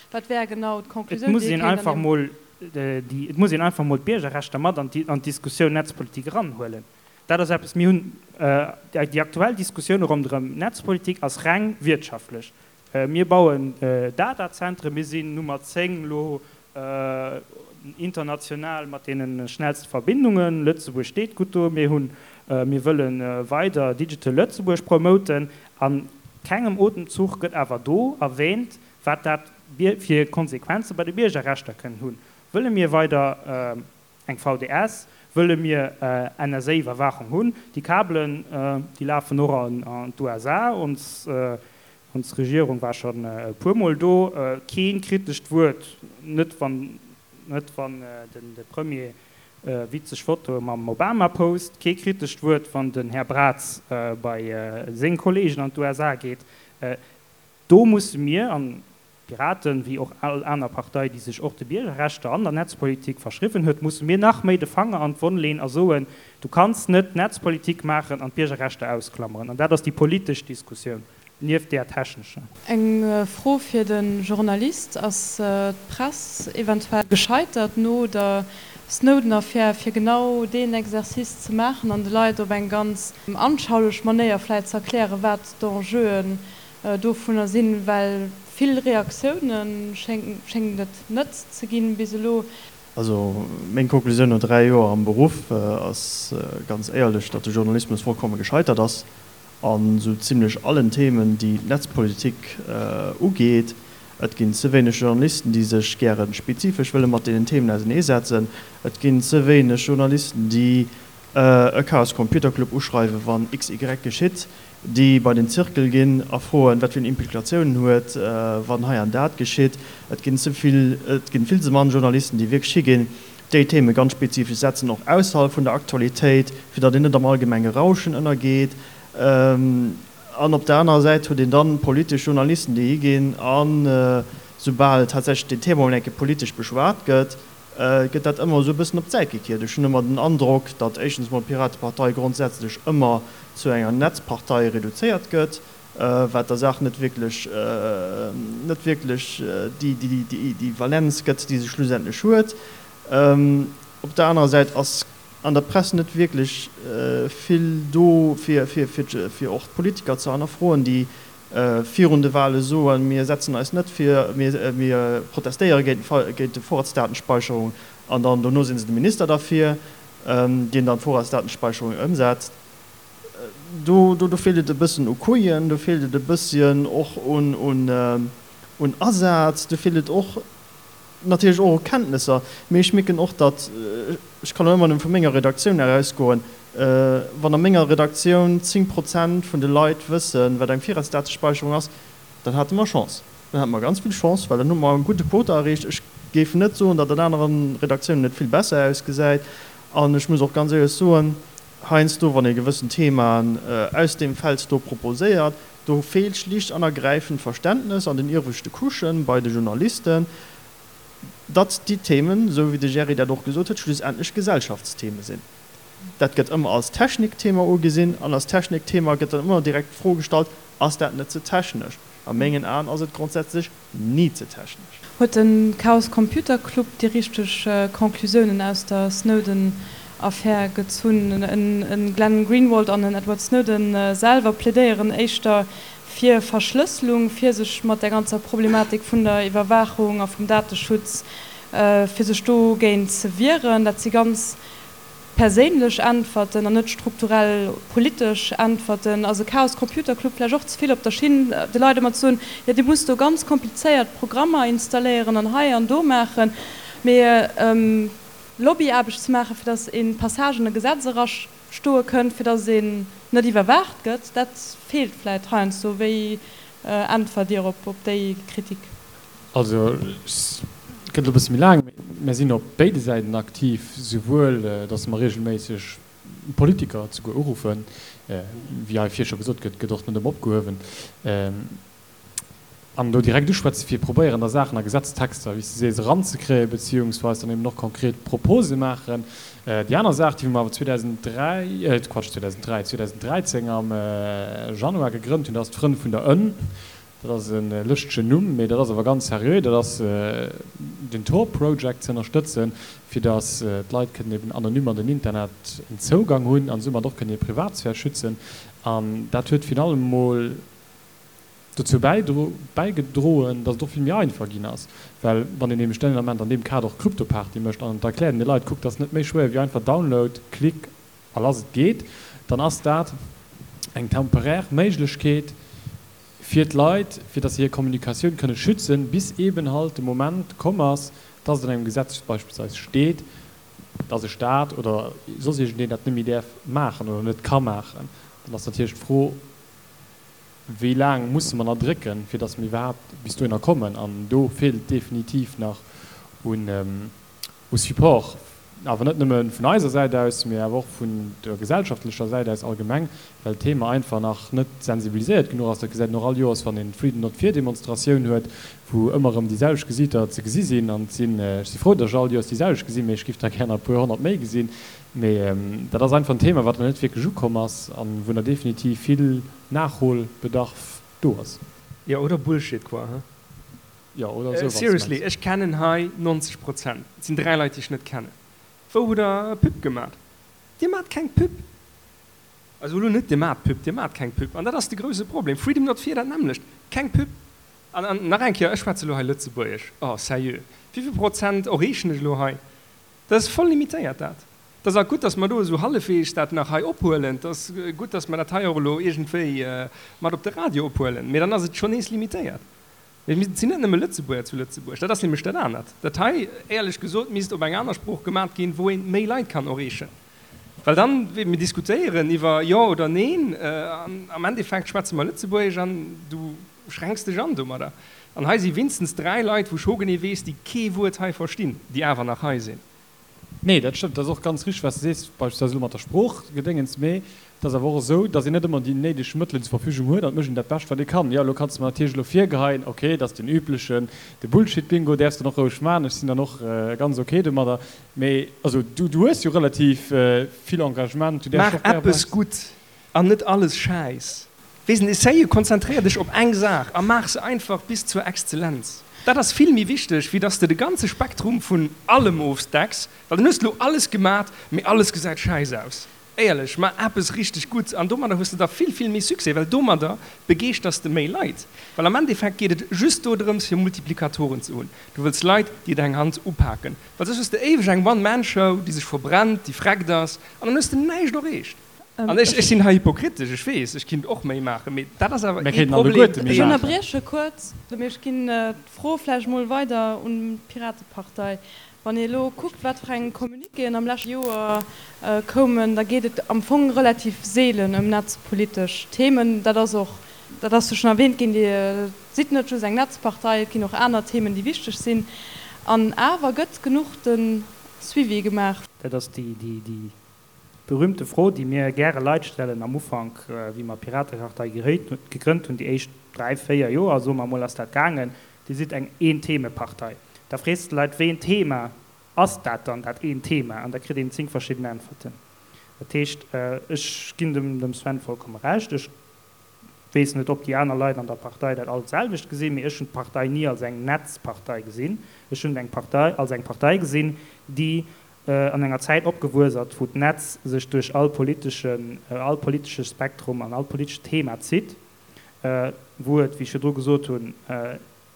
Wat wär genau Et d'Conclusioun, muss déi ee een kéint an einfach deem. mol déi, et muss een einfach mol d'Biergerrechter mat an d'Diskussioun Netzpolitik eranhuelen. Dat ass eppes, mir hunn déi aktuell Diskussioun ronderëm Netzpolitik ass reng wirtschaftlech. Mir bauen Datazentren, mir sinn Nummer zéng elo international mat deene schnellste Verbindungen. Lëtzebuerg steet gutt do. Mir hunn, mir wëlle weider Digital Lëtzebuerg promoten. A kengem Otemzuch gëtt awer do erwähnt, wat dat fir Konsequenze bei de Biergerrechter kënnen hunn. Wëlle mir weider eng V D S? Wëlle mir N S A-Iwwerwaachung hunn? Déi Kabelen, déi lafen och an d'U S A. Ons Ons Regierung war schonn e puermol do. Kee kritescht Wuert, net wann net wann den de Premier witzeg Fotoe mam Obama post, kee kritescht Wuert, wann den Här Braz bei seng Kollegen an d'U S A geet. Do musse mir, an d'Piraten, wéi och all aner Partei, déi sech och de Biergerrechter an der Netzpolitik verschriwwen huet, musse mir nach méi de Fanger an d'Wonn leen a soen, Du kanns net Netzpolitik maachen an d'Biergerrechter ausklammeren. An dat ass déi politesch Diskussioun. nieft där technescher. Eng Fro fir de Journalist, Ass d'Press eventuell gescheitert no der Snowden-Affär, fir genau deen Exercice ze maachen an de Leit op eng ganz anschaulech Manéier vläicht ze erklären, wat d'Enjeuen dovunner sinn? Well vill Reaktioune schéngt et net ze ginn bis elo. Also meng Konklusioun no dräi Joer am Beruff ass ganz éierlech, datt de Journalismus vollkomme gescheitert ass a sou zimlech allen Themen, déi d'Netzpolitik ugeet. Et ginn ze wéineg Journalisten, déi sech gäre spezifesch wëlle mat deenen Themen auserneesetzen. Et ginn ze wéineg Journalisten, déi e Chaos Computer Club uschreiwen, wann XY geschitt, déi bei den Zirkel ginn a froen, wat fir en Implikatiounen huet, wann hei an dat geschitt. Et ginn ze vill, et ginn vill ze mann Journalisten, déi wierklech higinn, déi Theme ganz spezifesch setzen, och ausserhalb vun der Aktualitéit, fir datt een net am allgemenge Rauschen ënnergeet. An op der anerer Säit huet een dann politesch Journalisten, déi higinn an, soubal tatsächlech deen Thema emol eng Kéier politesch beschwat gëtt, gëtt dat ëmmer esou e bëssen op d'Säit gekiert. Ech hunn ëmmer den Androck, datt éischtens mol d'Piratepartei grondsätzlech ëmmer zu enger Netzpartei reduzéiert gëtt, wat der Saach net wierklech, net wierklech déi Valenz gëtt, déi se schlussendlech huet. Op der anerer Säit ass an der Press net wierklech vill do, fir fir och d'Politiker ze hannerfroen, déi virun de Wahle soen, mir setzen eis net fir, mir protestéiere géint géint d'Vorratsdatenspeicherung, an dann dono si se de Minister derfir, deen dann d'Vorratsdatenspeicherung ëmsetzt. Do do feelt et e bëssen u Couillen, do feelt et e bësschen och un un Asaz, do feelt et och natierlech och u Kenntnesser. Mee ech mierken och, datt, ech kann elo ëmmer nëmme vu menger Redaktioun erausgoen, wann a menger Redaktioun zéng Prozent vun de Leit wëssen, wat eng Virratsdatespeicherung ass, dann hate mer Chance. Dann hate mer ganz vill Chance, well dann hu mer e gudde Quota erreecht. Ech géif net soen, datt an anere Redaktiounen et vill besser ausgesäit. An ech muss och ganz éierlech soen, heiansdo, wann ee gewëssen Themaen aus deem Feld do proposéiert, do feelt schlicht an ergräifend d'Verständnes an den ieweschte Couchen, bei de Journalisten, datt déi Themen, esou wéi de Jerry dat och gesot huet, schlussendlech Gesellschaftstheme sinn. Dat gëtt ëmmer als Technikthema ugesinn an als Technikthema gëtt dann ëmmer direkt d'Fro gestallt, Ass dat net ze technesch? A mengen Aen ass et grondsätzlech ni ze technesch. Huet de Chaos Computer Club déi richteg Conclusiounen aus der Snowden-Affär gezunn? E Glenn Greenwald an en Edward Snowden selwer plädéieren éischter fir Verschlësselung, fir sech mat der ganzer Problematik vun der Iwwerwaachung a vum Dateschutz, fir sech dogéint ze wieren. Dat si ganz perséinlech Äntwerten an net strukturell politesch Äntwerten. Ass e Chaos Computer Club vläicht och ze vill op der Schinn, de Leit ëmmer ze soen, jo dir musst do ganz komplizéiert Programmer installéieren an hei an do maachen, mee Lobbyaarbecht ze maachen, fir datt ee Passage an e Gesetz erastoe kënnt, fir datt een net iwwerwaacht gëtt, dat feelt vläicht heiansdo. Wéi äntwert Dir op déi Kritik? Also, et gëtt elo e bësse méi laang, mee mir sinn op béide Säiten aktiv, souwuel datt mer reegelméisseg Politiker souguer uruffen, wéi hei vir scho gesot gëtt, gëtt och net ëmmer opgehuewen, an do direkt uschwätzen, fir probéieren, da Saachen a Gesetztexter, wéi s de sees, eranzekréien, beziehungsweis dann eben och konkret Propose maachen. Déi aner Saach, déi mer awer zweedausenddräi, Quatsch, zweedausenddräi, zweedausenddräizéng am Januar gegrënnt hunn, dat ass d'Frënn vun der Ënn. Dat ass e lëschtegen Numm, mee dat ass awer ganz seriö. Dat ass den Tor Project ze ënnerstëtzen, fir datt d'Leit kënnen eben anonym an den Internet en Zougang hunn an soumat och kënnen hir Privatsphär schützen. An dat huet virun allem emol dozou bäigedroen, datt et och vill méi einfach ginn ass, well wann een nämlech den Ament an deem Kader och Kryptoparty mécht an et erkläert een de Leit, kuckt, dat ass net méi schwéier wéi einfach Download, Klick a lass et geet, dann ass dat eng temporär Méiglechkeet fir d'Leit, fir datt se hir Kommunikatioun kënne schützen, bis eeben halt de Moment komm ass, datt et an engem Gesetz beispillsweis steet, datt e Staat oder soss iergendeen dat net méi däerf maachen oder net ka maachen. Dann ass natierlech d'Fro, Wéi laang musse mer nach drécken, fir datt mir iwwerhaapt bis dohinner kommen? An do feelt et definitiv nach u Support, awer net nëmme vun eiser Säit aus, mee awer och vun der gesellschaftlecher Säit aus allgemeng, well d'Thema einfach nach net sensibiliséiert genuch ass. Dat gesäit een och all Joers, wann een d'Freedom Not Fear Demonstratioun huet, wou ëmmer erëm déi selwecht Gesiiter ze gesi sinn. An et sinn, ech si frou, datt ech all Joers déi selwecht gesinn, mee ech géif der gär nach e puer honnert méi gesinn. Mee dat ass einfach en Thema, wat nach net wierklech ukomm ass a wou nach definitiv vill Nachholbedarf do ass. Jo, oder Bullshit, quoi, he? Jo, oder esou, wann s de Seriously, mengs. ech kennen hei nonzeg Prozent. Et sinn dräi Leit, déi ech net kennen. Wou hutt der Pub gemat? Dir maacht keng Pub. Also elo net, Dir maacht Pub, Dir maacht keng Pub. An dat ass de grouse Problem. Freedom Not Fear, dat nämmlecht. Keng Pub. An, an nach eng Kéier, ech schwätze elo hei Lëtzebuergesch. Oh, sérieux, wéivill Prozent erreechen ech elo hei? Dat ass voll limitéiert, dat. Et ass gutt, dass mer do esou hallefweegs dat nach hei ophuelen. Et ass gutt, dass mer dat hei och elo iergendwéi mat op de Radio ophuelen. Mee dann ass et schonn nees limitéiert. Mee et sinn net nëmme Lëtzebuerger zu Lëtzebuerg. Dat ass nämlech dat anert. Dat hei, éierlech gesot, misst op eng aner Sprooch gemat ginn, wou ee méi Leit kann erreechen. Well dann, mir diskutéieren iwwer Jo oder Neen, an am Endeffekt schwätze mer Lëtzebuergesch an du schränks dech an domadder. An hei si winstens dräi Leit, wou ech hogenee weess, déi kee Wuert hei verstinn, déi awer nach hei sinn. Nee, dat stëmmt. Dat ass och ganz richteg, wat s de sees, beispillsweis elo mat der Sproochgedéngens. Mee et ass awer och esou, datt een net ëmmer déi néideg Mëttelen zur Verfügung huet an et mécht een dat Bescht, wat ee kann. Jo, elo kanns de mer natierlech elo virgeheien, okay, dat ass den üblechen, de Bullshit-Bingo däerfs de dann och roueg maachen, ech sinn dann och ganz okay domadder. Mee also du, du hues jo relativ vill Engagement, du däerfs Maach och gär eppes gutt an net alles Schäiss. Weess net, essaye, konzentréier dech op eng Saach a maach se einfach bis zur Exzellenz. Dat ass vill méi wichteg, wéi dass de de ganze Spektrum vun allem ofdecks, well dann hues de lo alles gemat, mee alles gesäit schäiss aus. Éierlech, maach eppes richteg gutt an domadder hues de da vill, vill méi Succès, well domadder begeeschters de méi Leit. Well am Endeffekt geet et just dodrëms, fir Multiplikatoren ze hunn. Du wëlls Leit, déi deng Hand upaken, well soss hues de éiweg eng One-Man-Show, déi sech verbrennt, déi freckt ass an dann hues de näischt erreecht. An ech, ech sinn hei hypokritesch, ech weess, ech kinnt och méi maachen, mee dat ass awer Mir ee kéinten Problem, alleguerte méi Ech deen. maachen. ënnerbrieche kuerz, mee ech ginn d'Fro vläicht mol weider un d'Piratepartei. Wann ee elo kuckt, wat fir eng Communiquéen am leschte Joer koumen, da geet et am Fong relativ seelen ëm netzpolitesch Themen. Dat ass och, dat ass jo schonn erwähnt ginn, Dir sidd net just eng Netzpartei, et ginn och aner Themen, déi wichteg sinn. An awer gëtt genuch de Suivi gemaach. Dat ass déi, déi, déi berühmte Fro, déi mir gäre Leit stellen am Ufank, wéi mer d'Piratepartei gegrënnt hunn, déi éischt dräi, véier Joer, soe mer emol, ass dat gaangen, Dir sidd eng Een-Theme-Partei. Da frees de d'Leit, Wéi een Thema ass dat dann, dat eent Thema? An da kritt een zéng verschidden Äntwerten. Dat heescht, ech ginn dem Sven vollkomme Recht. Ech weess net, ob déi aner Leit an der Partei dat all d'selwecht gesinn, mee ech hunn d'Partei ni als eng Netzpartei gesinn. Ech hunn eng Partei als eng Partei gesinn, déi an enger Zäit opgewuess ass, wou d'Netz sech duerch all politeschen, all politesche Spektrum an all politescht Thema zitt, wou et, wéi ech virdru gesot hunn,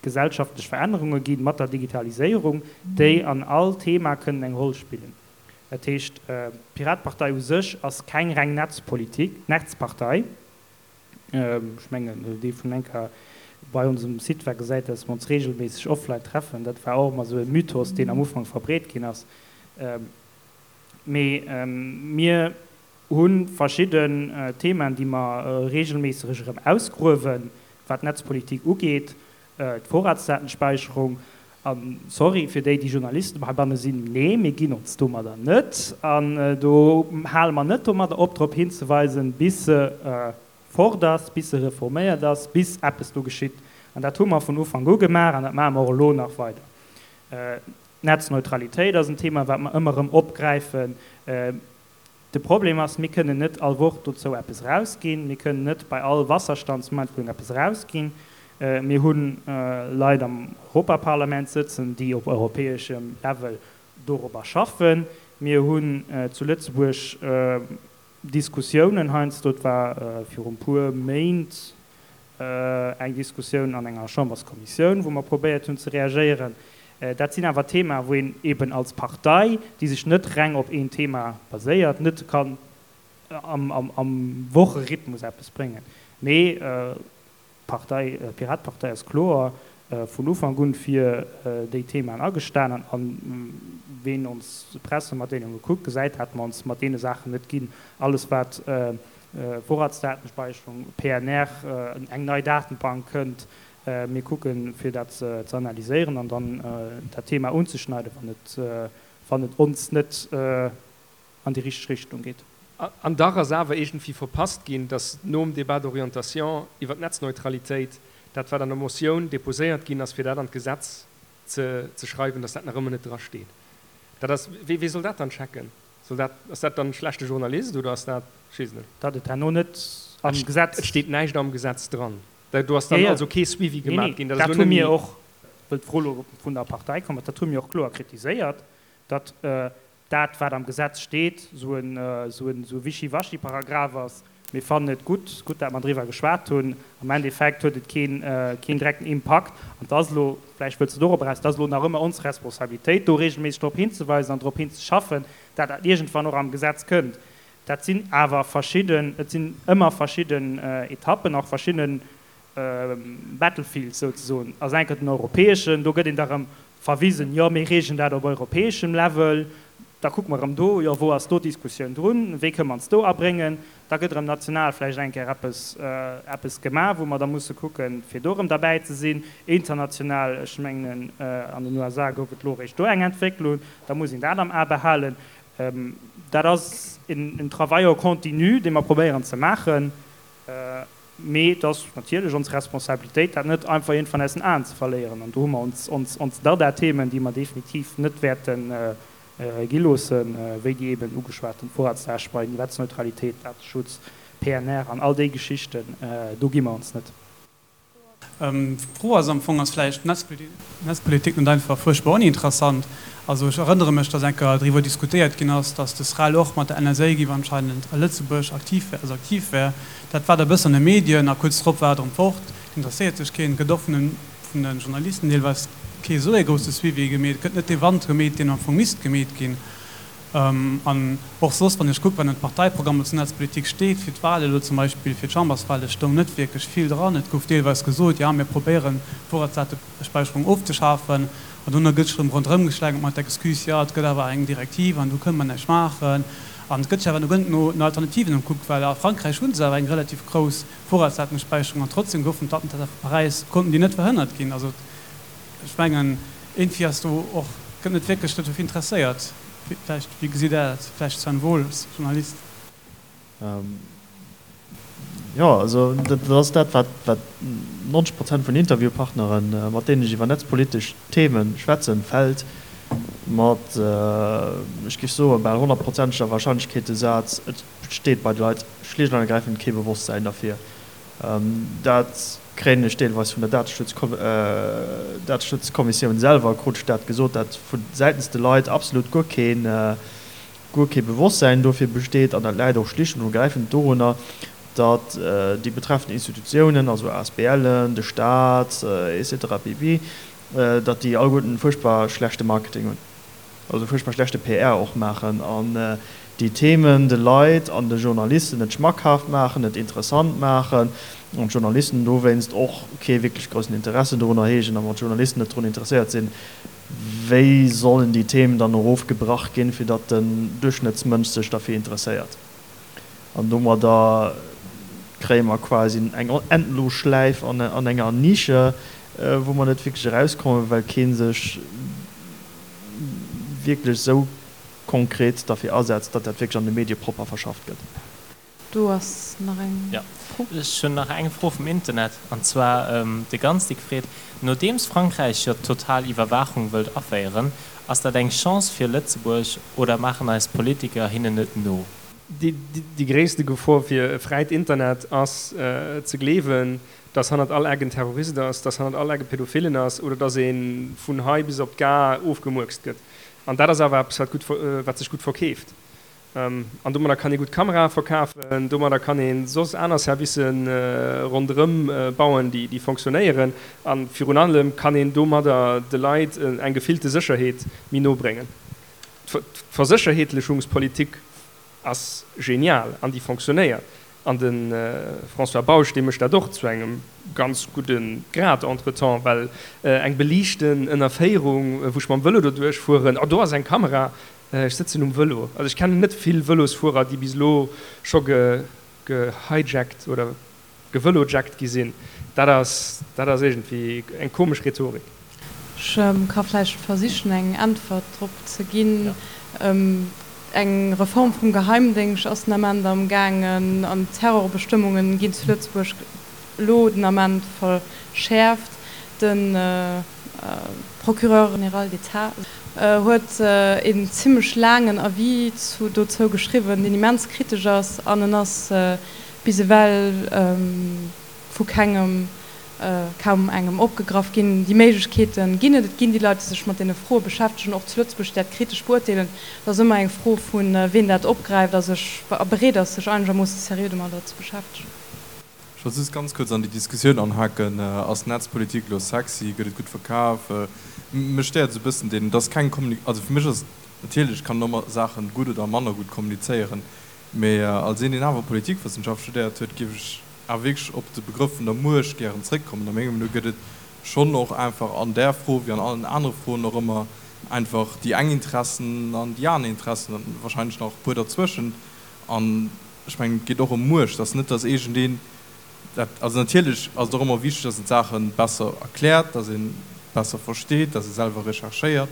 gesellschaftlech Verännerunge gi mat der Digitaliséierung, déi an all Thema kënnen eng Roll spillen. Dat heescht, d'Piratepartei u sech ass keng reng Netzpolitik, Netzpartei. Ech mengen, dee vun enker bei onsem Site war, gesäit, dass mer ons regelméisseg offline treffen. Dat war och ëmmer esou e Mythos, deen am Ufank verbreet ginn ass. Mee mir hu verschidden Themaen, déi mer regelméisseg erëm ausgruewen, wat d'Netzpolitik ugeet, d'Vorratsdatenspeicherung. A sorry fir déi, déi Journalisten heibanne sinn, nee, mir ginn ons domadder net. An do hale mer net domadder op, drop hinzeweisen, bis se fort ass, bis se reforméiert ass, bis eppes do geschitt. An dat hu mer vun Ufank u gemaach an dat maache mer och elo nach weider. D'Netzneutralitéit ass en Thema, wat mer ëmmer erëm opgräifen. De Problem ass, mir kënnen net all Woch dozou eppes erausginn. Mir kënnen net bei all Wasserstandsmeldung eppes erausginn. Mir hu Leit am Europaparlament sëtzen, déi op europäeschem Level dorobber schaffen. Mir hunn zu Lëtzebuerg Diskussiounen heiansdo, et war viru puer Méint eng Diskussioun an enger Chamberskommissioun, wou mer probéiert hunn ze reagéieren. Dat sinn awer Themaen, wou een eben als Partei, déi sech net reng op een Thema baséiert, net kann am Wocherhythmus eppes bréngen. Mee d'Partei, d'Piratepartei ass kloer vun Ufank un fir déi Themaen agestanen. A ween ons Pressematdeelunge kuckt, gesäit, dat mer ons mat deene Saachen net ginn. Alles wat Vorratsdatenspeicherung, P N R, eng nei Datenbank kënnt, mir kucken, fir dat ze analyséieren an dann dat Thema unzeschneiden, wann et, wann et ons net an déi richteg Richtung geet. An dach ass awer iergendwéi verpasst ginn, datt nom Débat d'orientation iwwer d'Netzneutralitéit, dat wat an der Motioun déposéiert ginn ass, fir dat an d'Gesetz ze, ze schreiwen, datt dat nach ëmmer net drasteet. Dat ass, wee, wee soll dat dann checken? Soll dat, ass dat dann e schlechte Journalist oder ass dat, ech weess et net. Datt et herno net am Et Gesetz steet näischt am Gesetz dran. Do ass dann also kee Suivi gemaach ginn. Dat hu mir och, wëll d'Fro elo vun der Partei komm ass, dat hu mir och kloer kritiséiert, datt dat, wat am Gesetz steet, esou en Wischiwaschi-Paragraph ass. Mir fannen et gutt, gutt, dat mer driwwer geschwat hunn. Am Endeffekt huet et keen, keen direkten Impakt. An et ass elo, vläicht wëlls de dorop eraus, et ass elo nach ëmmer ons Responsabilitéit, do regelméisseg drop hinzeweisen an drop hinzeschaffen, dat dat iergendwann och am Gesetz kënnt. Dat sinn awer verschidden, et sinn ëmmer verschidden Etappen, och verschidden Battlefields souzesoen. Ass enker den europäeschen, do gëtt een da rëm verwisen, jo mir regeln dat op europäeschem Level, da kucke mer erëm do, jo wou ass do d'Diskussioun drun, wéi kënne mer ons do abréngen, da gëtt erëm national vläicht eng Kéier eppes, eppes gemaach, wou mer da musse kucken, fir do erëm derbäi ze sinn. International, ech mengen an den U S A gouf et elo eréischt do eng Entwécklung, da muss een dat am A behalen. Dat ass en Travail en continu, dee mer probéieren ze maachen. Mee et ass natierlech ons Responsabilitéit, dat net einfach iergendwann aus den Aen ze verléieren. An do hu mer ons Dada-Themen, déi mer definitiv net wäerte gi loossen, wéi déi eeben ugeschwaten Vorratsdatenspeicherung, Netzneutralitéit, Dateschutz, P N R an all déi Geschichten, do gi mer ons net. D'Fro ass am Fong, ass vläicht d'Netzpolitik net einfach fuerchtbar oninteressant? Also ech erënnere mech, datt eng Kéier driwwer diskutéiert ginn ass, datt de SREL och mat der N S A géif anscheinend a Lëtzebuerg aktiv wär, also aktiv wär. Dat war da e bëssen an de Medien a kuerz drop war et erëm fort. Et interesséiert sech keen, et gëtt och vun de vun de Journalisten deelweis kee esou ee grousse Suivi gemeet, et gëtt net dee Wand gemeet, deen am Fong misst gemeet ginn. An och soss, wann ech kucken, wat an de Parteiprogrammer zur Netzpolitik steet, fir d'Wahl elo zum Beispill, fir d'Chamberswahl, et stoung net wierklech vill dran. Et gouf deelweis gesot, jo, mir probéieren, d'Vorratsdatespäicherung ofzeschafen. An dono gëtt sech erëm ronderëmgeschlängelt mat der Excuse, jo, et gëtt awer eng Direktiv an do kënne mer näischt maachen. An et gëtt sech awer no gëtt no Alternativen ëmkuckt, well a Frankräich hu se awer eng relativ grouss Vorratsdatespäicherung an trotzdem goufen d'Attentater vu Paräis, konnten déi net verhënnert ginn. Also ech mengen, iergendwéi ass do och, gëtt net wierklech dofir interesséiert. Vläicht, wéi gesitt Der dat? Vläicht Sven Wohl als Journalist. Jo, also dat ass dat, wat wat neunzeg Prozent vun Interviewpartneren, mat deenen ech iwwer netzpolitesch Theme schwätzen, fält mat, ech géif soen, bal honnertprozenteger Warscheinlechkeet de Saz, Et besteet bei de Leit schlicht an ergräifend kee Bewosstsäin derfir. Dat kréien ech deelweis vun der Dateschutzkommissioun selwer, krut ech dat gesot, dat vu säitens de Leit absolut guer keen, guer kee Bewosstsäin dofir besteet. An dat läit och schlicht und ergräifend dorunner, datt déi betreffend Institutiounen, also A S B Len, de Staat, et cetera pp., datt déi alleguerten fuerchtbar schlechte Marketing hunn, also fuerchtbar schlechte P R och maachen an déi Themen de Leit an de Journalisten net schmackhaft maachen, net interessant maachen an d'Journalisten dowéinst och kee wierklech groussen Interesse dorunner heegen. A wann d'Journalisten net drun interesséiert sinn, wéi sollen déi Themen dann erofgebrach ginn, fir datt den Duerchschnëttsmënsch sech derfir interesséiert? An domadder kréie mer quasi eng endlos Schläif an enger Nische, wou mer net wierklech erauskommen, well kee sech wierklech esou konkret derfir asetzt, datt dat wierklech an de Medie propper verschafft gëtt. Do ass nach eng Fro. Ech hunn nach eng Fro vum Internet, an zwar de Ganzdick freet, Nodeems Frankräich jo d'total Iwwerwaachung wëllt aféieren, ass dat eng Chance fir Lëtzebuerg oder maachen eis Politiker hinnen et no? Déi gréisste Gefor fir e fräit Internet ass ze gleewen, dass hannert all Eck en Terrorist ass, dass hannert all Eck e Pädophilen ass oder dass ee vun hei bis op d'Gare ofgemurkst gëtt. An dat ass awer eppes, wat gutt, wat sech gutt verkeeft. An domadder kann ee gutt Kamerae verkafen, domadder kann ee soss aner Servicë ronderëm bauen, déi fonctionnéieren. A virun allem kann een domadder de Leit eng gefillte Sécherheet méi no bréngen. D'Versécherheetlechungspolitik ass genial an déi fonctionnéiert. An de François Bausch, dee mécht dat och zu engem ganz gudde Grad entretemps, well eng beliichten Ënnerféierung, wou ech mam Vëlo doduerch fueren, oh do ass eng Kamera, ech sëtzen um Vëlo. Also ech kennen net vill Vëlosfuerer, déi bis elo scho gehijackt oder gevëlojackt gi sinn. Dat ass, dat ass iergendwéi eng komesch Rhetorik. Ech ka vläicht versichen eng Äntwert drop ze ginn. Eng Reform vum Geheimdéngscht ass den Ament am gaangen an d'Terrorbestëmmunge ginn zu Lëtzebuerg elo den Ament verschäerft. De Procureur général d'État huet een zimmlech laangen Avis dozou geschriwwen, deen immens kritesch ass an en ass bis ewell vu kengem kaum engem opgegraff ginn. Déi Méiglechkeete ginn et. Et ginn déi Leit, déi sech mat deene Froe beschäftegen, och zu Lëtzebuerg, déi dat kritesch beurteelen. Et ass ëmmer eng Fro vun, wien dat opgräift a sech a bereet ass, sech einegermoosse seriö domadder ze beschäftegen. Ech wollt just ganz kuerz an déi Diskussioun anhaken, Ass Netzpolitik elo sexy? Gëtt et gutt verkaf? Mech stéiert esou e bëssen deen, et ass keng Kommunik-, also fir mech ass, natierlech kann een ëmmer Saache gutt oder manner gutt kommunizéieren, mee als een, deen awer Politikwëssenschaft studéiert huet, géif ech awer wierklech op de Begrëff vun der Muecht gären zréckkommen. A mengem Meenung no gëtt et schonn och einfach an där Fro wéi an allen anere Froen och ëmmer einfach déi eng Interessen an déi aner Interessen an wahrscheinlech nach e puer derzwëschent. An ech mengen, et geet och ëm Muecht. Et ass net, datt iergendeen dat, also natierlech ass et och ëmmer wichteg, datt een d'Saache besser erkläert, datt ee besser versteet, datt ee selwer recherchéiert.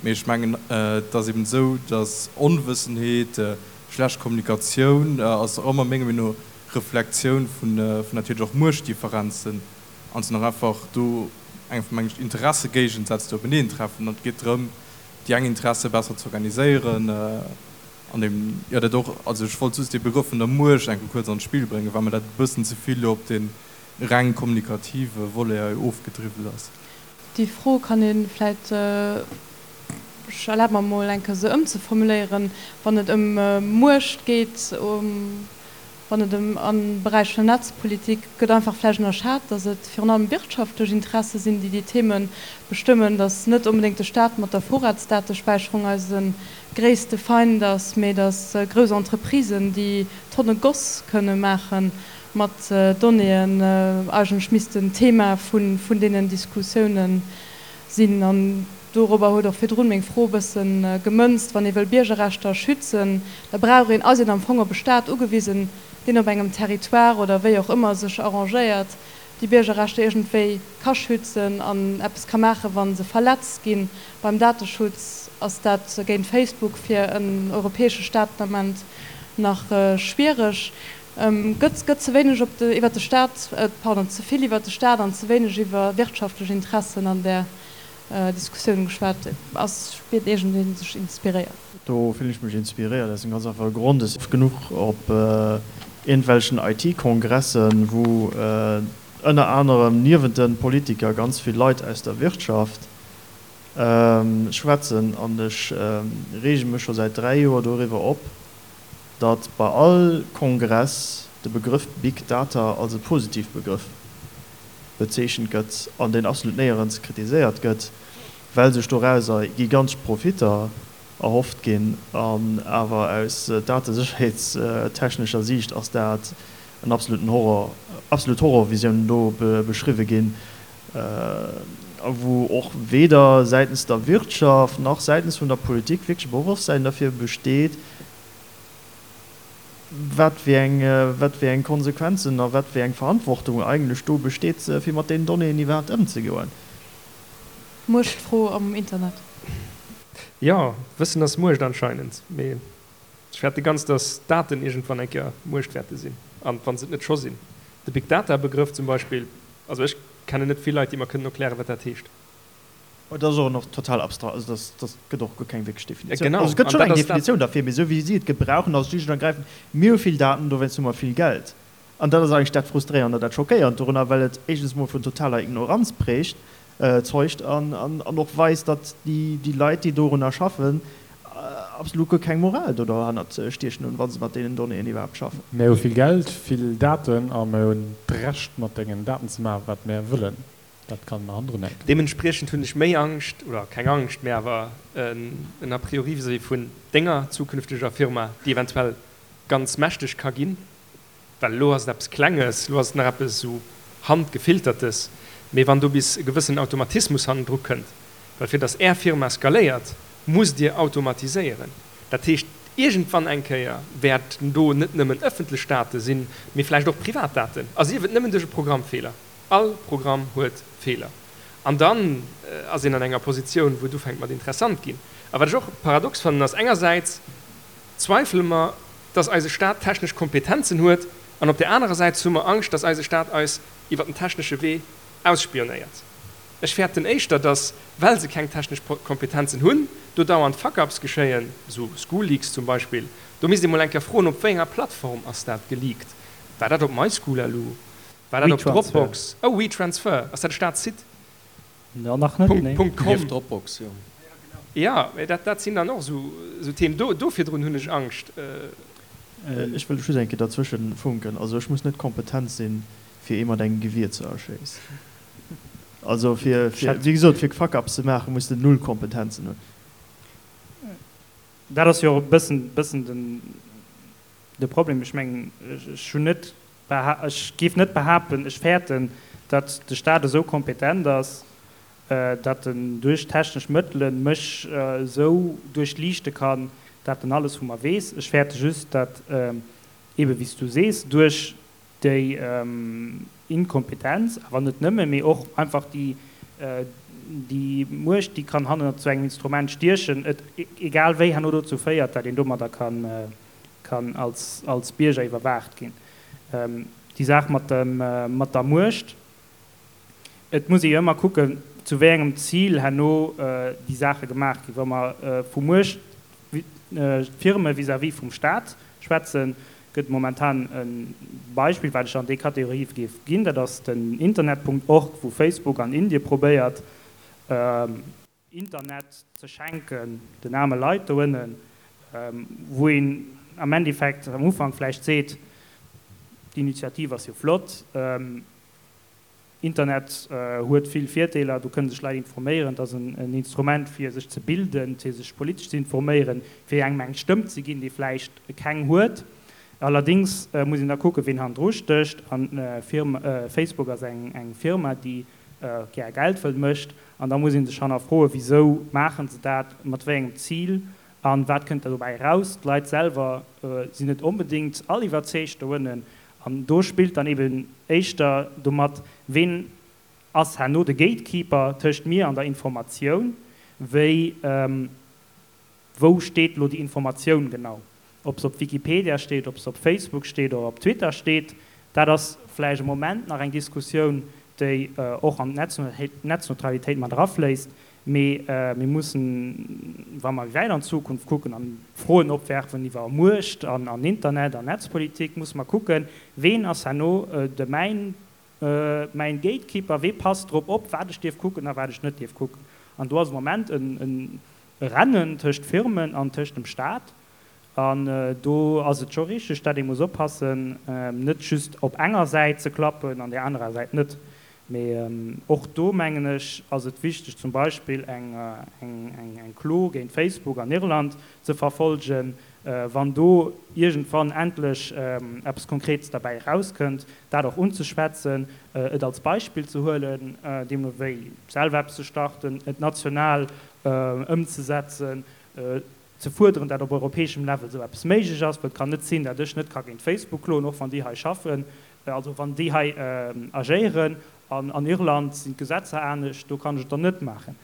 Mee ech mengen, et ass eben esou, datt Onwëssenheet, schlecht Kommunikatioun ass och ëmmer mengem Meenung no Reflektioun vun natierlech och Muechtdifferenzen an sinn och einfach do eng mengen ech Interessegéigensätz déi openeen treffen an et geet drëm déi eng Interesse besser ze organiséieren an eben jo dat och, also ech wollt just dee Begrëff vun der Muecht eng Kéier kuerz an d'Spill bréngen, well mer dat e bëssen ze vill elo op dee reng kommunikative Volet hei ofgedriwwelt ass. Déi Fro kann ee vläicht, ech erlabe mer emol eng Kéier se ëmzeformuléieren, wann et ëm Muecht geet, wann et ëm am Beräich vun der Netzpolitik gëtt einfach vläicht ënnerschat, datt et virun allem wirtschaftlech Interesse sinn, déi déi Theme bestëmmen, datt net onbedéngt de Staat mat der Vorratsdatespäicherung eise gréisste Feind ass, mee datt grouss Entreprisen, déi Tonne Goss kënne maache mat Donnéeën, eigentlech missten Thema vun deenen Diskussiounen sinn. An dorobber huet och virdrun meng Fro e bësse gemënzt, Wann ee wëll Biergerrechter schützen, da brauch een, ass een am Fong op e Staat ugewisen, deen op engem Territoire oder wéi och ëmmer sech arrangéiert, déi Biergerrechter iergendwéi ka schützen an eppes ka maachen, wa se verletzt ginn. Beim Dateschutz ass dat géint Facebook fir en europäesche Staat den Ament nach schwiereg. Gëtt gëtt ze wéineg op de, iwwert de Staat, pardon, ze vill iwwert de Staat an ze wéineg iwwer wirtschaftlech Interessen an där Diskussioun geschwat. Ass, spiert iergendeen sech inspiréiert? Do fillen ech mech inspiréiert aus dem ganz einfache Grond, ech sinn oft genuch op iergendwelchen I T-Kongressen, wou ënner anerem niewent de Politiker ganz vill Leit aus der Wirtschaft schwätzen an ech reege mech scho säit dräi Joer doriwwer op, datt bei all Kongress de Begrëff Big Data als e positiv Begrëff bezeechent gëtt an deen absolut néierens kritiséiert gëtt, well sech dorauser gigantesch Profitter erhofft ginn. An awer aus datesécherheetstechnescher Siicht ass dat en absoluten Horror, absolut Horrorvisiounen do beschriwwe ginn, a wou och weder säitens der Wirtschaft nach säitens vun der Politik wierklech e Bewosstsäin derfir besteet, wat fir eng, wat fir eng Konsequenzen a wat fir eng Verantwortung eigentlech do besteet, fir mat deenen Donnéeën iwwerhaapt ëmzegoen. Muechtfro am Internet. Jo, Wëssen ass Muecht anscheinend, mee ech fäerte ganz, dass Daten iergendwann eng Kéier Muecht wäerte sinn, an wa se et net scho sinn. De Big Data Begrëff zum Beispill, also ech kennen net vill Leit, déi mer kënnen erklären, wat dat heescht. Et ass och nach total abstrakt, also dat, dat gëtt och guer keng wierklech Definitioun. Genau, Also et gëtt an schonn dat eng ass dat. Definitioun derfir, mee esou wéi si et gebrauchen, ass schlicht und ergreifend, mir hu vill Daten, dowéinst hu mer vill Geld. An dat ass eigentlech dat Frustréierend an dat Schockéierend dorunner, well et éischtens emol vun totaler Ignoranz prägt, zeugt an, an, an och weist, datt déi, déi Leit, déi dorunner schaffen, absolut guer keng Moral do derhannert stiechen hunn, wa se mat deenen Donnéeën iwwerhaapt schaffen. Mär hu vill Geld, vill Daten a mär hunn d'Recht, mat dengen Daten ze maachen, wat mär wëllen. Dat kann hannendrun hänken. Deementspriechend hunn ech méi Angscht, oder keng Angscht, mä awer en a priori vis-à-vis vun denger zukünfteger Firma, déi eventuell ganz mächteg ka ginn, well elo ass et eppes Klenges, elo ass et nach eppes esou Handgefiltertes, mee wann do bis e gewëssenen Automatismus hannendru kënnt, well fir datt Är Firma skaléiert, musst Dir automatiséieren. Dat heescht, iergendwann eng Kéier wäerten do net nëmmen ëffentlech Date sinn, mee vläicht och privat Daten, a sief et nëmmen duerch e Programmfeeler. All Programm huet Feeler. An dann ass een an enger Positioun, wou et ufänkt mat interessant ginn. A wat ech och paradox fannen, ass, engersäits zweifele mer, dass eise Staat technesch Kompetenzen huet, an op där anerer Säit hu mer Angscht, dass eise Staat eis iwwer den technesche Wee ausspionéiert. Ech fäerten éischter, dass, well se keng technesch Kompetenzen hunn, do dauernd Fuck-ups geschéien, esou School-Leaks zum Beispill. Do misst ee mol eng Kéier froen, op wéi enger Plattform ass dat geleakt? War dat op MySchool.lu? War dat op Dropbox? Oh, WeTransfer, ass dat e Staatssite? Jo, nach net, nee. Punkt com. Nieft Dropbox, jo. Jo, mä dat, dat sinn dann och esou, esou Themen. Do, do virdrun hunn ech Angscht. Ech wëll just eng Kéier derzwëschen funken. Also ech muss net kompetent sinn, fir ee mat engem Gewier ze erschéissen. Also fir, fir, wéi gesot, fir Fuck-ups ze maachen, muss de null Kompetenzen hunn. Dat ass jo och e bëssen, bëssen den, de Problem. Ech mengen, ech hunn net beha-, ech géif net behaapten, ech fäerten, datt de Stat esou kompetent ass, datt en duerch technesch Mëttele mech esou duerchliichte kann, datt en alles vu mer weess. Ech fäerte just, datt eebe wéi s du sees, duerch déi Inkompetenz, awer net nëmme, mee och einfach déi, déi Muecht, déi kann hannert esou engem Instrument stiechen, et egal wéi herno dozou féiert, datt een domadder kann, kann als, als Bierger iwwerwaacht ginn. Déi Saach mat dem, mat der Muecht, et muss ee jo ëmmer kucken, zu wéi engem Zil herno déi Saache gemaach ginn. Wa mer vu Muecht, Firme vis-à-vis vum Stat schwätzen, gëtt momentan e Beispill, wat ech an déi Kategorie géif ginn, dat ass den Internet Punkt org, wou Facebook an Indie probéiert, Internet ze schenken den aarme Leit do ënnen, wou een am Endeffekt am Ufank vläicht seet, d'Initiativ ass jo flott, Internet huet vill Virdeeler, do kënne sech Leit informéieren, et ass en Instrument fir sech ze bilden, fir sech politesch ze informéieren, fir engem eng Stëmm ze ginn, dee vläicht keng huet. Allerdéngs muss een da kucken, ween hannendru stécht. An Facebook ass eng Firma, déi gär Geld wëll mécht. An da muss ee sech hannerfroen, wisou maache se dat, mat wéi engem Zil a wat kënnt da dobäi eraus. D'Leit selwer sinn net onbedéngt all iwwerzeegt doënnen. An do spillt dann eben éischter domat, ween ass herno de Gatekeeper tëscht mir an der Informatioun, wéi wou steet elo déi Informatioun genau. Ob se op Wikipedia steet, ob se op Facebook steet oder op Twitter steet, dat ass vläicht am Moment nach eng Diskussioun, déi och an d'Netzneutralitéit mat erafléisst. Mee mir mussen, wa mer wäit an d'Zukunft kucken an Froen opwerfen iwwer Muecht an Internet an Netzpolitik, musse mer kucken, Ween ass herno de mäin, mäin Gatekeeper? Wee passt drop op, wat ech dierf kucken a wat ech net dierf kucken? An do ass am Moment e Rennen tëscht Firmen an tëscht dem Staat. An do ass et scho richteg, datt ee muss oppassen, net just op enger Säit ze klappen an där anerer Säit net. Mee och do, mengen ech, ass et wichteg, zum Beispill eng Klo géint Facebook an Irland ze verfolgen, wann do iergendwann endlech eppes Konkretes derbäi erauskënnt, dat och unzeschwätzen, et als Beispill ze huelen, deemno wéi selwer eppes ze starten, et national ëmzesetzen, ze fuerderen, dat op europäeschem Level esou eppes méiglech ass, well et kann net sinn, dat ech net ka géint Facebook kloen, och wann déi hei schaffen, also wann déi hei agéieren, an an Irland sinn d'Gesetzer anescht, do kann ech et dann net maachen.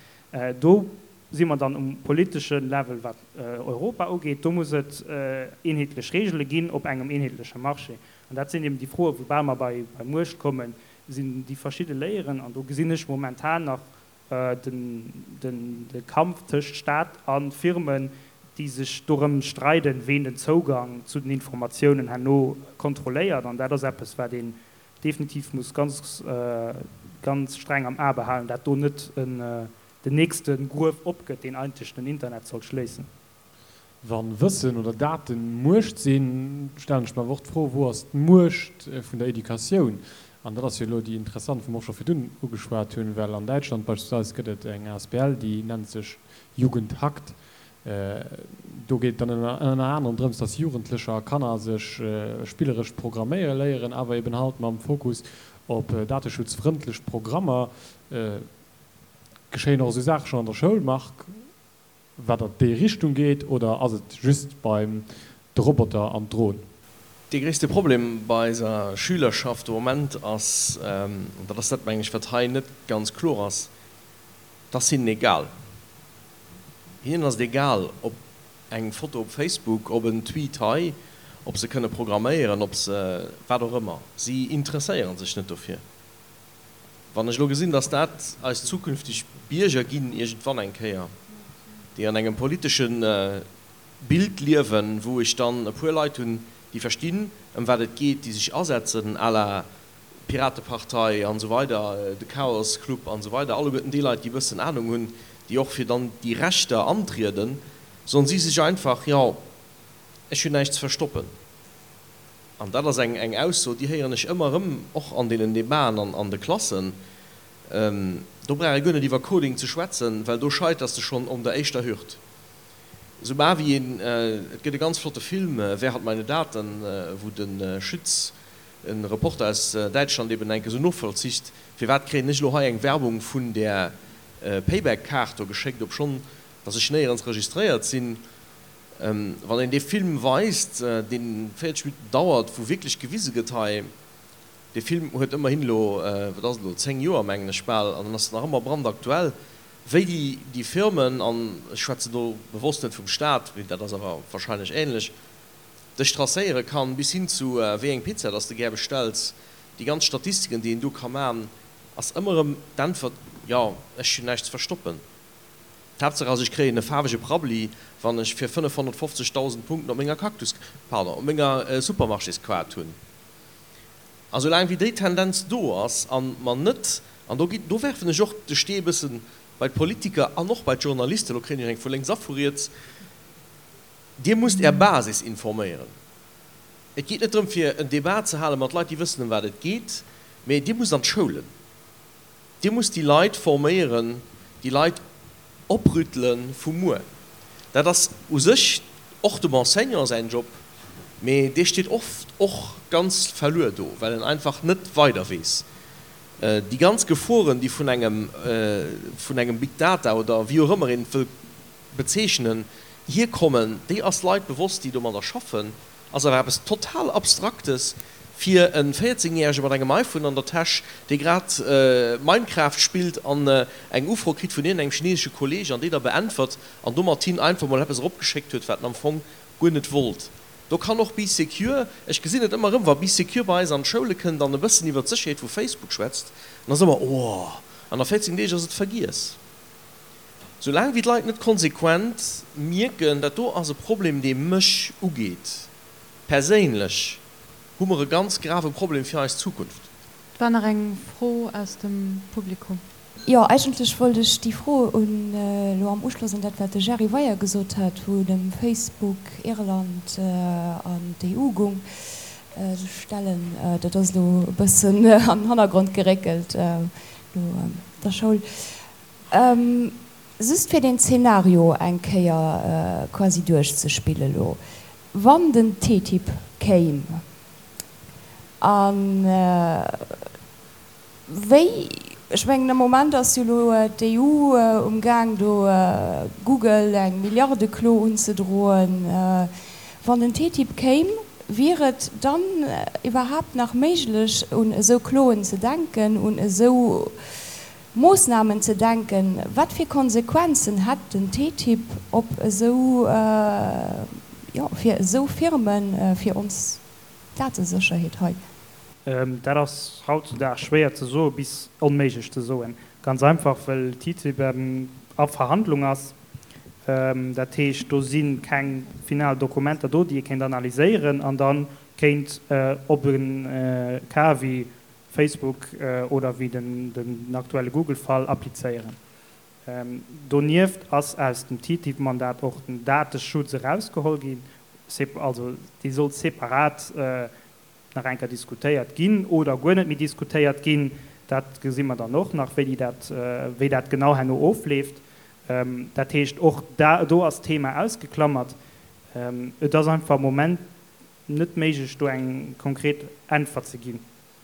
Do si mer dann um politesche Level, wat Europa ugeet. Do muss et eenheetlech Regele ginn op engem eenheetleche Marché. An dat sinn eben déi Froen, woubäi mer bei Muecht kommen, sinn déi verschidde Layeren. An do gesinn ech momentan nach de Kampf tëscht Staat a Firmen, déi sech dorëm streiden, ween den Zougang zu den Informatiounen herno kontrolléiert. An dat ass eppes, wat een definitiv muss ganz, ganz streng am A behalen, dat do net den nächste Gruef opgëtt, deen eigentlech den Internet soll schléissen. Wa Wëssen oder Daten Muecht sinn, stellen ech mer awer och d'Fro, Wou ass d'Muecht vun der Educatioun? An dat ass jo elo déi interessant, wou mer och scho virdun ugeschwat hunn, well an Däitschland beispillsweis gëtt et eng asbl, déi nennt sech Jugend hackt. Do geet et dann ënner anerem drëms, dass Jugendlecher a Kanner sech spilleresch programméiere léieren, awer eben halt mam Fokus op dateschutzfrëndlech Programmer. Geschéien och esou Saache schonn an der Schoul, Marc, wat an déi Richtung geet, oder ass et just beim de Roboter an d'Dron? Dee gréisste Problem bei eiser Schülerschaft de Moment ass, an dat ass dat, mengen ech, wat hei net ganz kloer ass, Et ass hinnen egal. Hinnen ass et egal, ob eng Foto op Facebook, ob en Tweet hei, ob se kënne programméieren, ob se wat och ëmmer. Si interesséiere sech net dofir. Wann ech elo gesinn, datt dat eis zukünfteg Bierger ginn iergendwann eng Kéier, déi an engem politesche Bild liewen, wou ech dann e puer Leit hunn, déi verstinn, ëm wat et geet, déi sech asetzen à la d'Piratepartei an esou weider, de Chaos Club an esou weider, alleguerten déi Leit, déi e bëssen Anung hunn, déi och fir dann déi Rechter antrieden, soen si sech einfach, jo, ech hunn näischt ze verstoppen. An dat ass eng eng Ausso, déi héieren ech ëmmer erëm, och an deenen Debaten an an de Klassen. Do brauch ee guer net iwwer Coding ze schwätzen, well do scheiters de schonn om der éischter Hürd. Soubal wéi een, et gëtt e ganz flotte Film, Wer hat meine Daten, wou de Schütz, e Reporter aus Däitschland, eben enke sou novollzicht, firwat kréien ech elo hei eng Werbung vun där Payback-Kaart do geschéckt, obschonn datt ech néierens registréiert sinn. Wann een dee Film weist, dee véierzeg Minutten dauert, wou wierklech gewise gëtt, hei, dee Film huet ëmmerhin elo, wat ass et elo, zéng Joer, mengen ech bal, an en ass nach ëmmer brandaktuell, wéi déi, déi Firmen, an ech schwätzen do bewosst net vum Staat, mee dat ass awer wahrscheinlech ähnlech, dech tracéiere kann, bis hin zu wéi eng Pizza dass de gär bestells, déi ganz Statistiken, déi een do ka man, ass ëmmer erëm d'Äntwert, jo, ech hunn näischt ze verstoppen. D'Haaptsaach ass, ech kréien e faarwege Prabbeli, wann ech fir fënnefhonnertfofzegdausend Punkten op menger Cactus, pardon, op menger Supermarchésquart hunn. A soulaang wéi déi Tendenz do ass a mer net, an do ginn, do werfen ech och de Stee e bësse bei d'Politiker an och bei d'Journalisten, elo kréien ech eng vu lénks a vu riets, Dir musst Är Basis informéieren. Et geet net drëm, fir en Débat ze hale mat Leit, déi wëssen, ëm wat et geet, mä Dir musst an d'Schoulen. Dir musst déi Leit forméieren, déi Leit oprüttele vu muer. Dat ass u sech och dem Enseignant säin Job, mee dee steet oft och ganz verluer do, well en einfach net weider weess. Déi ganz Geforen, déi vun engem, vun engem Big Data oder wéi och ëmmer een et wëll bezeechnen, hierkommen, déi ass Leit bewosst, déi domadder schaffen. Ass awer eppes total Abstraktes fir e véierzéngjärege mat engem iPhone an der Täsch, dee grad Minecraft spillt an eng Ufro kritt vun iergendengem chinesesche Kolleeg an déi da beäntwert an domat him einfach mol eppes eropgeschéckt huet, wat en am Fong guer net wollt. Do kann och Bee Secure, ech gesinn et ëmmer erëm, wa Bee Secure bei eis an d'Schoule kënnt an e bëssen iwwer d'Sécherheet vu Facebook schwätzt, dann ass ëmmer, Oh, an a véierzéng Deeg ass et vergiess. Soulaang wéi d'Leit net konsequent mierken, dat do ass e Problem, dee mech ugeet, perséinlech, hu mer e ganz grave Problem fir eis Zukunft. Et war nach eng Fro aus dem Publikum. Jo, eigentlech wollt ech déi Fro un, elo am Uschloss un dat, wat de Gerry Weyer gesot hat, wou et ëm Facebook, Irland an d'EU gung, stellen. Dat ass elo e bëssen an den Hannergrond geréckelt no der Schoul. Just fir deen Zeenario eng Kéier quasi duerchzespille lo, wann den TTIP kéim, a wéi, ech mengen am Moment ass jo lo d'EU um Gaang do Google eng Milliardeklo unzedroen, wann den TTIP kéim, wier et dann iwwerhaapt nach méiglech un esou Kloen ze denken, un esou Moossnamen ze denken? Wat fir Konsequenzen hätt den TTIP op esou, jo, fir esou Firmen, fir ons Datesécherheet hei? Dat ass hautzudags schwéier ze soen, bis onméiglech ze soen. Ganz einfach, well TTIP a Verhandlung ass. Dat heescht, do si keng final Dokumenter do, déi ee kéint analyséieren an da kéint op e Cas wéi Facebook oder wéi den aktuelle Google-Fall applizéieren. Donieft ass aus dem TTIP-Mandat och den Dateschutz erausgeholl ginn, also dee soll separat nach eng Kéier diskutéiert ginn oder guer net méi diskutéiert ginn. Dat gesi mer dann och nach, wéi dat, wéi dat genau herno ofleeft. Dat heescht, och do ass d'Thema ausgeklammert. Et ass einfach am Moment net méiglech, do eng konkret Äntwert ze ginn.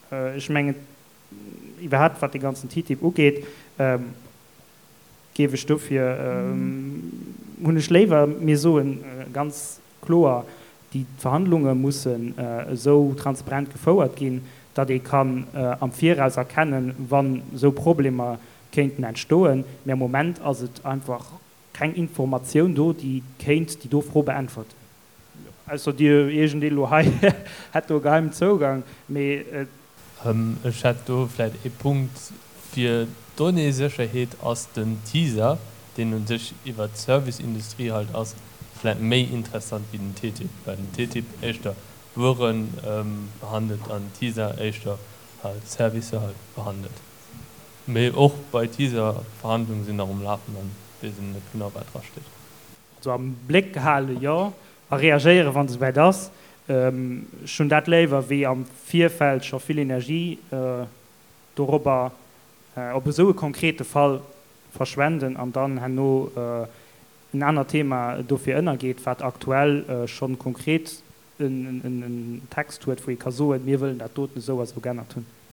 Ech mengen, iwwerhaapt wat dee ganzen TTIP ugeet, géif ech dofir, hunn ech léiwer, mir soe ganz kloer, déi Verhandlunge mussen esou transparent gefouert ginn, datt ee kann am Viraus erkennen, wann esou Problemer kéinten entstoen. Mä am Moment ass et einfach keng Informatioun do, déi kéint déi do Fro beäntwerten. Ausser Dir, iergendee lo hei hätt do e geheimen Zougang, mee. Ech hätt do vläicht ee Punkt, Fir d'Donnéesécherheet ass den TISA, deen u sech iwwert d'Serviceindustrie halt ass, vläicht méi interessant wéi den TTIP, well den TTIP éischter Wuere behandelt an TISA éischter halt Servicer halt behandelt. Mee och bei TISA, Verhandlungen sinn nach um Lafen an weess een net genau wat dra steet. Also am Bléck hale jo, a reagéieren wann et esouwäit ass. Ech hunn dat léiwer wéi am Virfeld scho vill Energie dorobber op esou e konkrete Fall verschwenden an dann herno en anert Thema dofir ënnergeet, wat aktuell scho konkret en Text huet, wou ee ka soen, mir wëllen dat doten esou a sou geännert hunn.